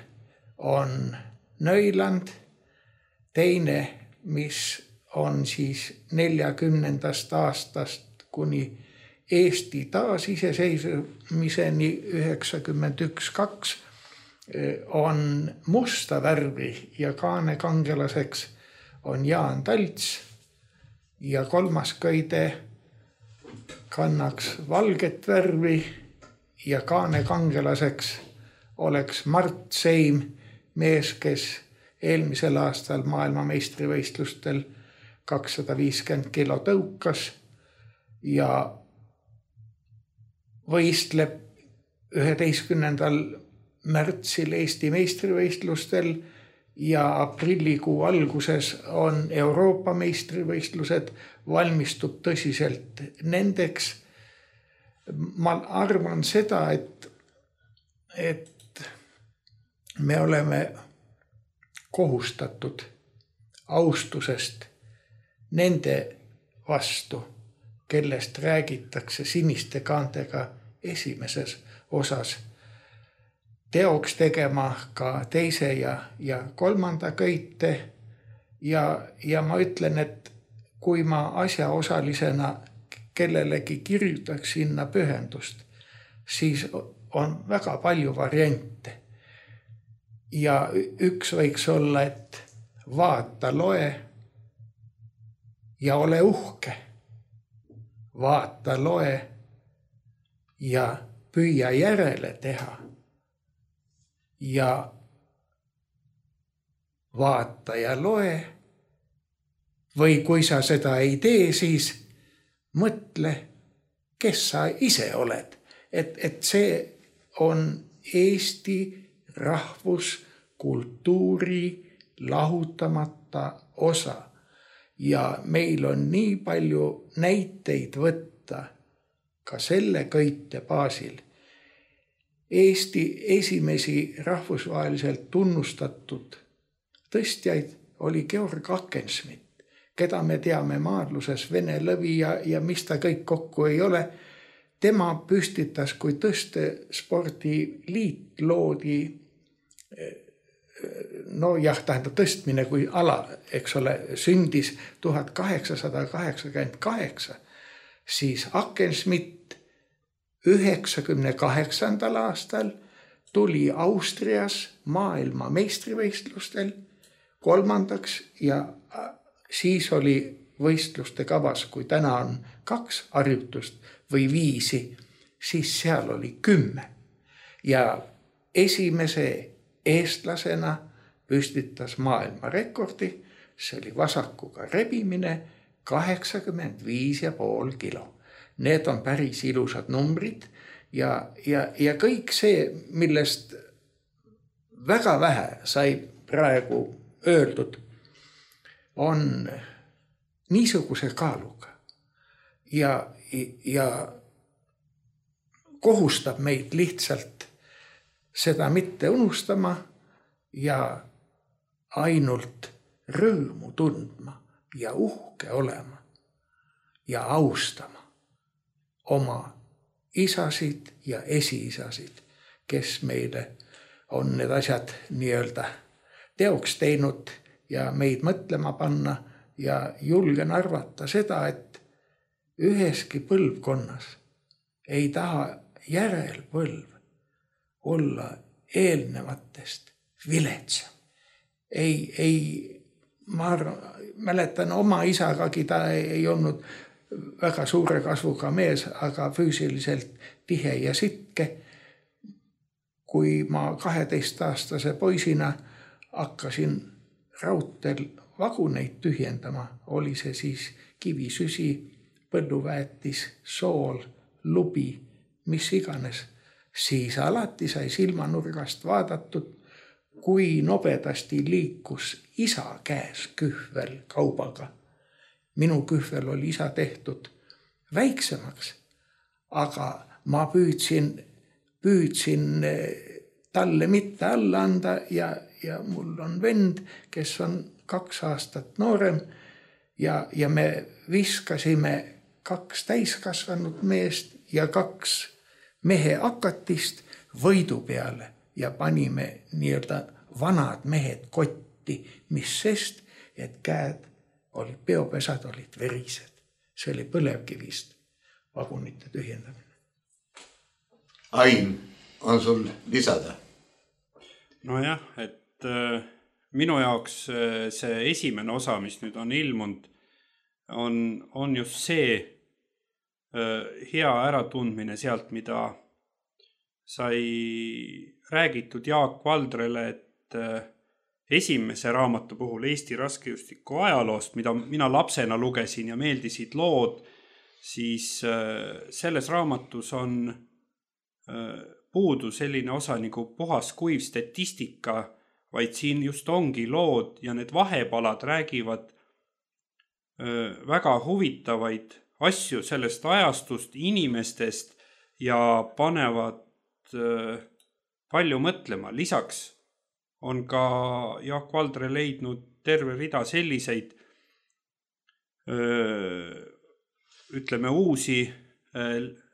on Nõiland. Teine, mis on siis 40. aastast kuni Eesti taasiseseisvumiseni 91-2 on musta värvi ja kaane kangelaseks on Jaan Talts ja 3. köide kannaks valget värvi ja kaane kangelaseks oleks Mart Seim, mees, kes eelmisel aastal maailmameistrivõistlustel 250 kilo tõukas ja võistleb 11. märtsil Eesti meistrivõistlustel ja aprillikuu alguses on Euroopa meistrivõistlused, valmistub tõsiselt nendeks. Ma arvan seda, et me oleme kohustatud austusest nende vastu, kellest räägitakse siniste kaantega esimeses osas, teoks tegema ka teise ja 3. köite ja ma ütlen, et kui ma asjaosalisena kellelegi kirjutaks sinna pühendust, siis on väga palju variante. Ja üks võiks olla, et vaata, loe ja ole uhke. Vaata, loe ja püüa järele teha. Ja vaata ja loe. Või kui sa seda ei tee, siis mõtle, kes sa ise oled. Et see on Eesti rahvuskultuuri lahutamata osa. Ja meil on nii palju näiteid võtta ka selle köite baasil. Eesti esimesi rahvusvaheliselt tunnustatud tõstjaid oli Georg Akensmit, keda me teame maadluses Vene lõvi ja mis ta kõik kokku ei ole. Tema püstitas, kui tõstespordiliit loodi, tähendab tõstmine kui ala, eks ole, sündis 1888, siis Akensmit 98. aastal tuli Austrias maailma meistrivõistlustel 3. ja siis oli võistluste kavas, kui täna on 2 harjutust või 5, siis seal oli 10. Ja esimese eestlasena püstitas maailmarekordi, see oli vasakuga rebimine 85,5 kilo. Need on päris ilusad numbrid ja kõik see, millest väga vähe sai praegu öeldud, on niisuguse kaaluga ja kohustab meid lihtsalt seda mitte unustama ja ainult rõõmu tundma ja uhke olema ja austama oma isasid ja esiisasid, kes meile on need asjad nii-öelda teoks teinud ja meid mõtlema panna ja julgen arvata seda, et üheski põlvkonnas ei taha järelpõlv olla eelnevatest viletsam. Ma mäletan oma isagagi, ta ei olnud väga suure kasvuga mees, aga füüsiliselt tihe ja sitke. Kui ma 12-aastase poisina hakkasin raudteel vaguneid tühjendama, oli see siis kivisüsi, põlluväetis, sool, lubi, mis iganes, siis alati sai silmanurgast vaadatud, kui nobedasti liikus isa käes kühvel kaubaga. Minu kühvel oli isa tehtud väiksemaks, aga ma püüdsin talle mitte alla anda ja mul on vend, kes on 2 aastat noorem ja me viskasime 2 täiskasvanud meest ja 2 mehe akatist võidu peale ja panime nii-öelda vanad mehed kotti, mis sest, et käed olid, peopesad olid verised. See oli põlevkivist vagunite tühjendamine. Ain, on sul lisada? Nojah, et minu jaoks see esimene osa, mis nüüd on ilmunud, on just see hea äratundmine sealt, mida sai räägitud Jaak Valdrele, et esimese raamatu puhul Eesti raskejõustiku ajaloost, mida mina lapsena lugesin ja meeldisid lood, siis selles raamatus on puudu selline osa nagu puhas kuiv statistika, vaid siin just ongi lood ja need vahepalad räägivad väga huvitavaid asju sellest ajastust, inimestest ja panevad palju mõtlema. Lisaks on ka Jaak Valdre leidnud terve rida selliseid ütleme uusi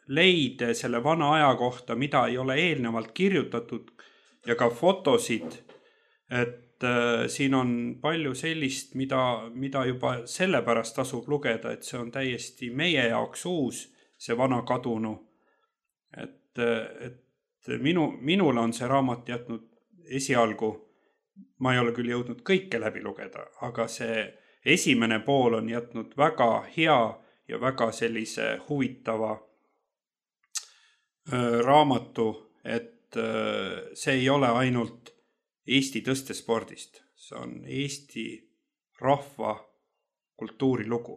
leide selle vana aja kohta, mida ei ole eelnevalt kirjutatud ja ka fotosid, et siin on palju sellist, mida juba sellepärast tasub lugeda, et see on täiesti meie jaoks uus, see vana kadunu. Et minule on see raamat jätnud esialgu, ma ei ole küll jõudnud kõike läbi lugeda, aga see esimene pool on jätnud väga hea ja väga sellise huvitava raamatu, et see ei ole ainult Eesti tõstespordist, see on Eesti rahva kultuurilugu.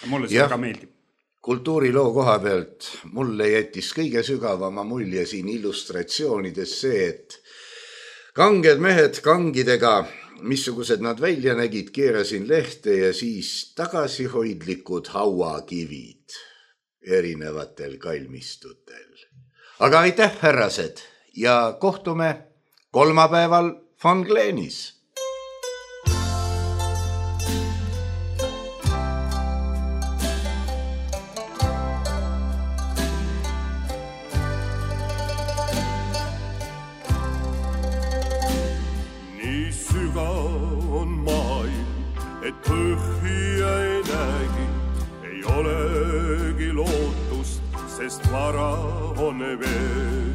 Ja mulle see väga meeldib. Kultuuriloo koha pealt mulle jättis kõige sügavama mulje siin illustratsioonides see, et kanged mehed kangidega, missugused nad välja nägid, keerasin lehte ja siis tagasihoidlikud hauakivid erinevatel kalmistutel. Aga aitäh, härrased, ja kohtume kolmapäeval Von Glenis. Nii sügav on maailm, et põhja ei näegi, ei olegi lootust, sest vara on veel.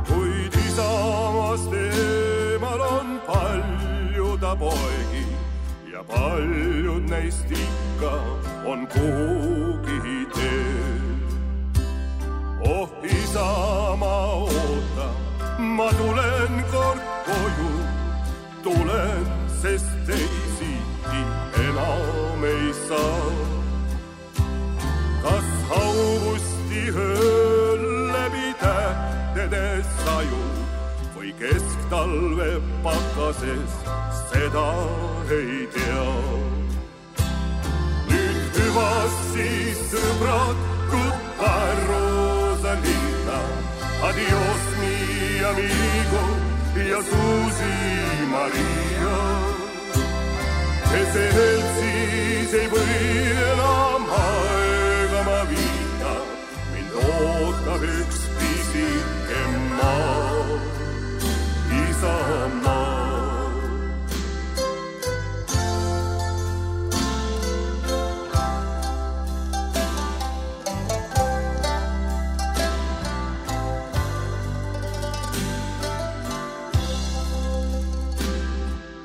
Kuid isamast eemal on palju ta poegi ja paljud neist ikka on kuhugi teel. Oh Isamaa, oota, ma tulen kord koju. ööl läbi tähtedes saju või kesktalve pakases, seda ei tea. Nüüd hüvasti sõbrad, goodbye Rosalina, adios mi amigo ja Susi Maria. Keselt siis ei või enam aega ma viita, mind ootab üks pisike maa, isamaa.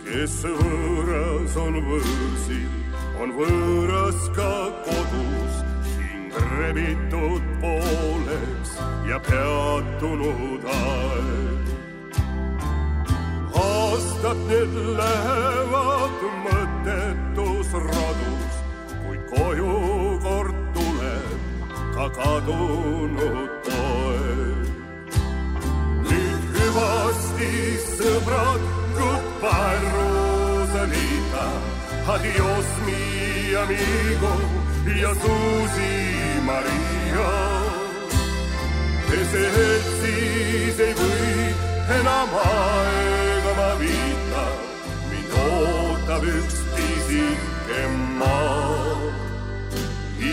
Kes võõras on võõrsil, on võõras ka kodus, hing rebitud pooleks ja peatunud aeg. Aastad need lähevad mõttetus radus, kuid koju kord tuleb ka kadunud poeg. Nüüd hüvasti sõbrad, goodbye Rosalita, adios mi amigo ja Susi Maria. Keselt siis ei või enam aega ma viita, mind ootab üks pisike maa,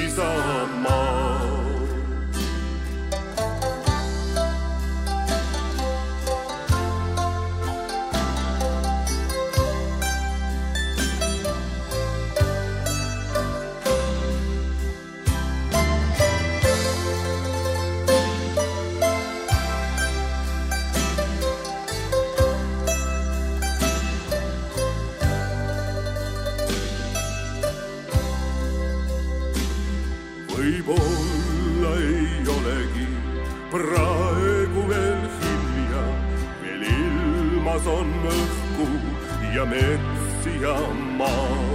isamaa. Võib-olla ei olegi praegu veel hilja, veel ilmas on õhku ja mets ja maa.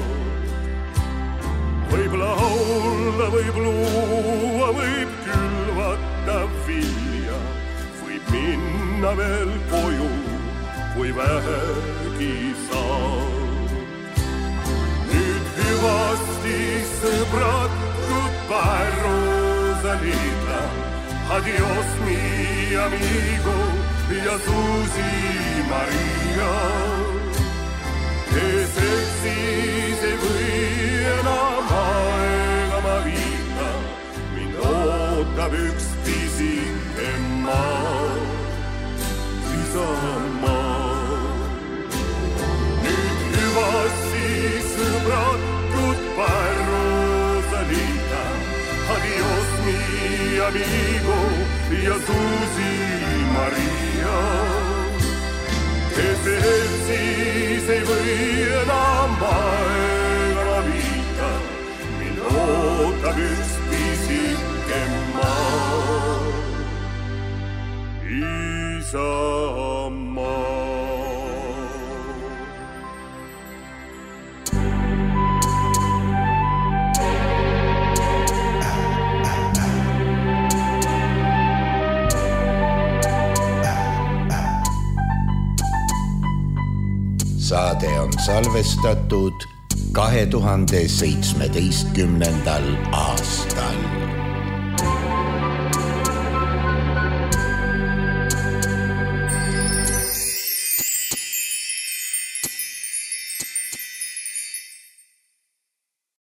Võib laulda, võib luua, võib külvata vilja, võib minna veel koju, kui vähegi saab. Nüüd hüvasti sõbrad, goodbye Rosalita, adios mi amigo ja Susi Maria. Keselt siis ei või enam aega ma viita, mind ootab üks pisike maa, isamaa. Nüüd hüvasti sõbrad, goodbye Rosalita, adios mi amigo ja Susi Maria. Keselt siis ei või enam aega ma viita, mind ootab üks pisike maa, isamaa. Saade on salvestatud 2017. aastal.